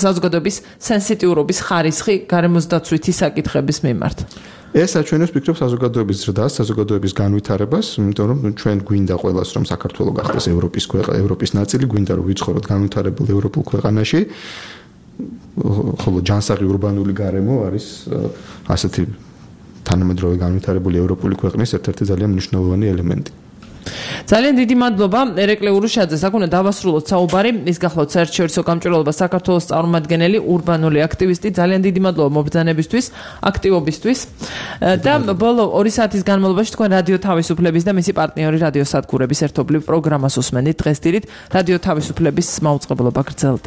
საზოგადოების სენსიტიურობის ხარისხი გარემოს დაცვითი საკითხების მიმართ? ეს საჩვენებს ფიქრობ საზოგადოების ზრდას, საზოგადოების განვითარებას, იმიტომ რომ ჩვენ გვინდა ყველას რომ საქართველო გახდეს ევროპის ქვეყანა, ევროპის ნაწილი, გვინდა რომ ვიცხოვროთ განვითარებულ ევროპულ ქვეყანაში. ხოლო ჯანსაღი ურბანული გარემო არის ასეთი თანამედროვე განვითარებული ევროპული ქვეყნის ერთ-ერთი ძალიან მნიშვნელოვანი ელემენტი. ძალიან დიდი მადლობა ერეკლე ურუშაძეს. აქ უნდა დავასრულოთ საუბარი. ის გახლავთ საერთაშორისო გამჭვირვალობა საქართველოს წარმომადგენელი, ურბანული აქტივისტი. ძალიან დიდი მადლობა მობრძანებისთვის, აქტივობისთვის. და ბოლო ორი საათის განმავლობაში თქვენ რადიო თავისუფლების და მისი პარტნიორი რადიო სადგურების ერთობლივ პროგრამას უსმენთ დღეს დილით. რადიო თავისუფლების მაუწყებლობა გრძელდება.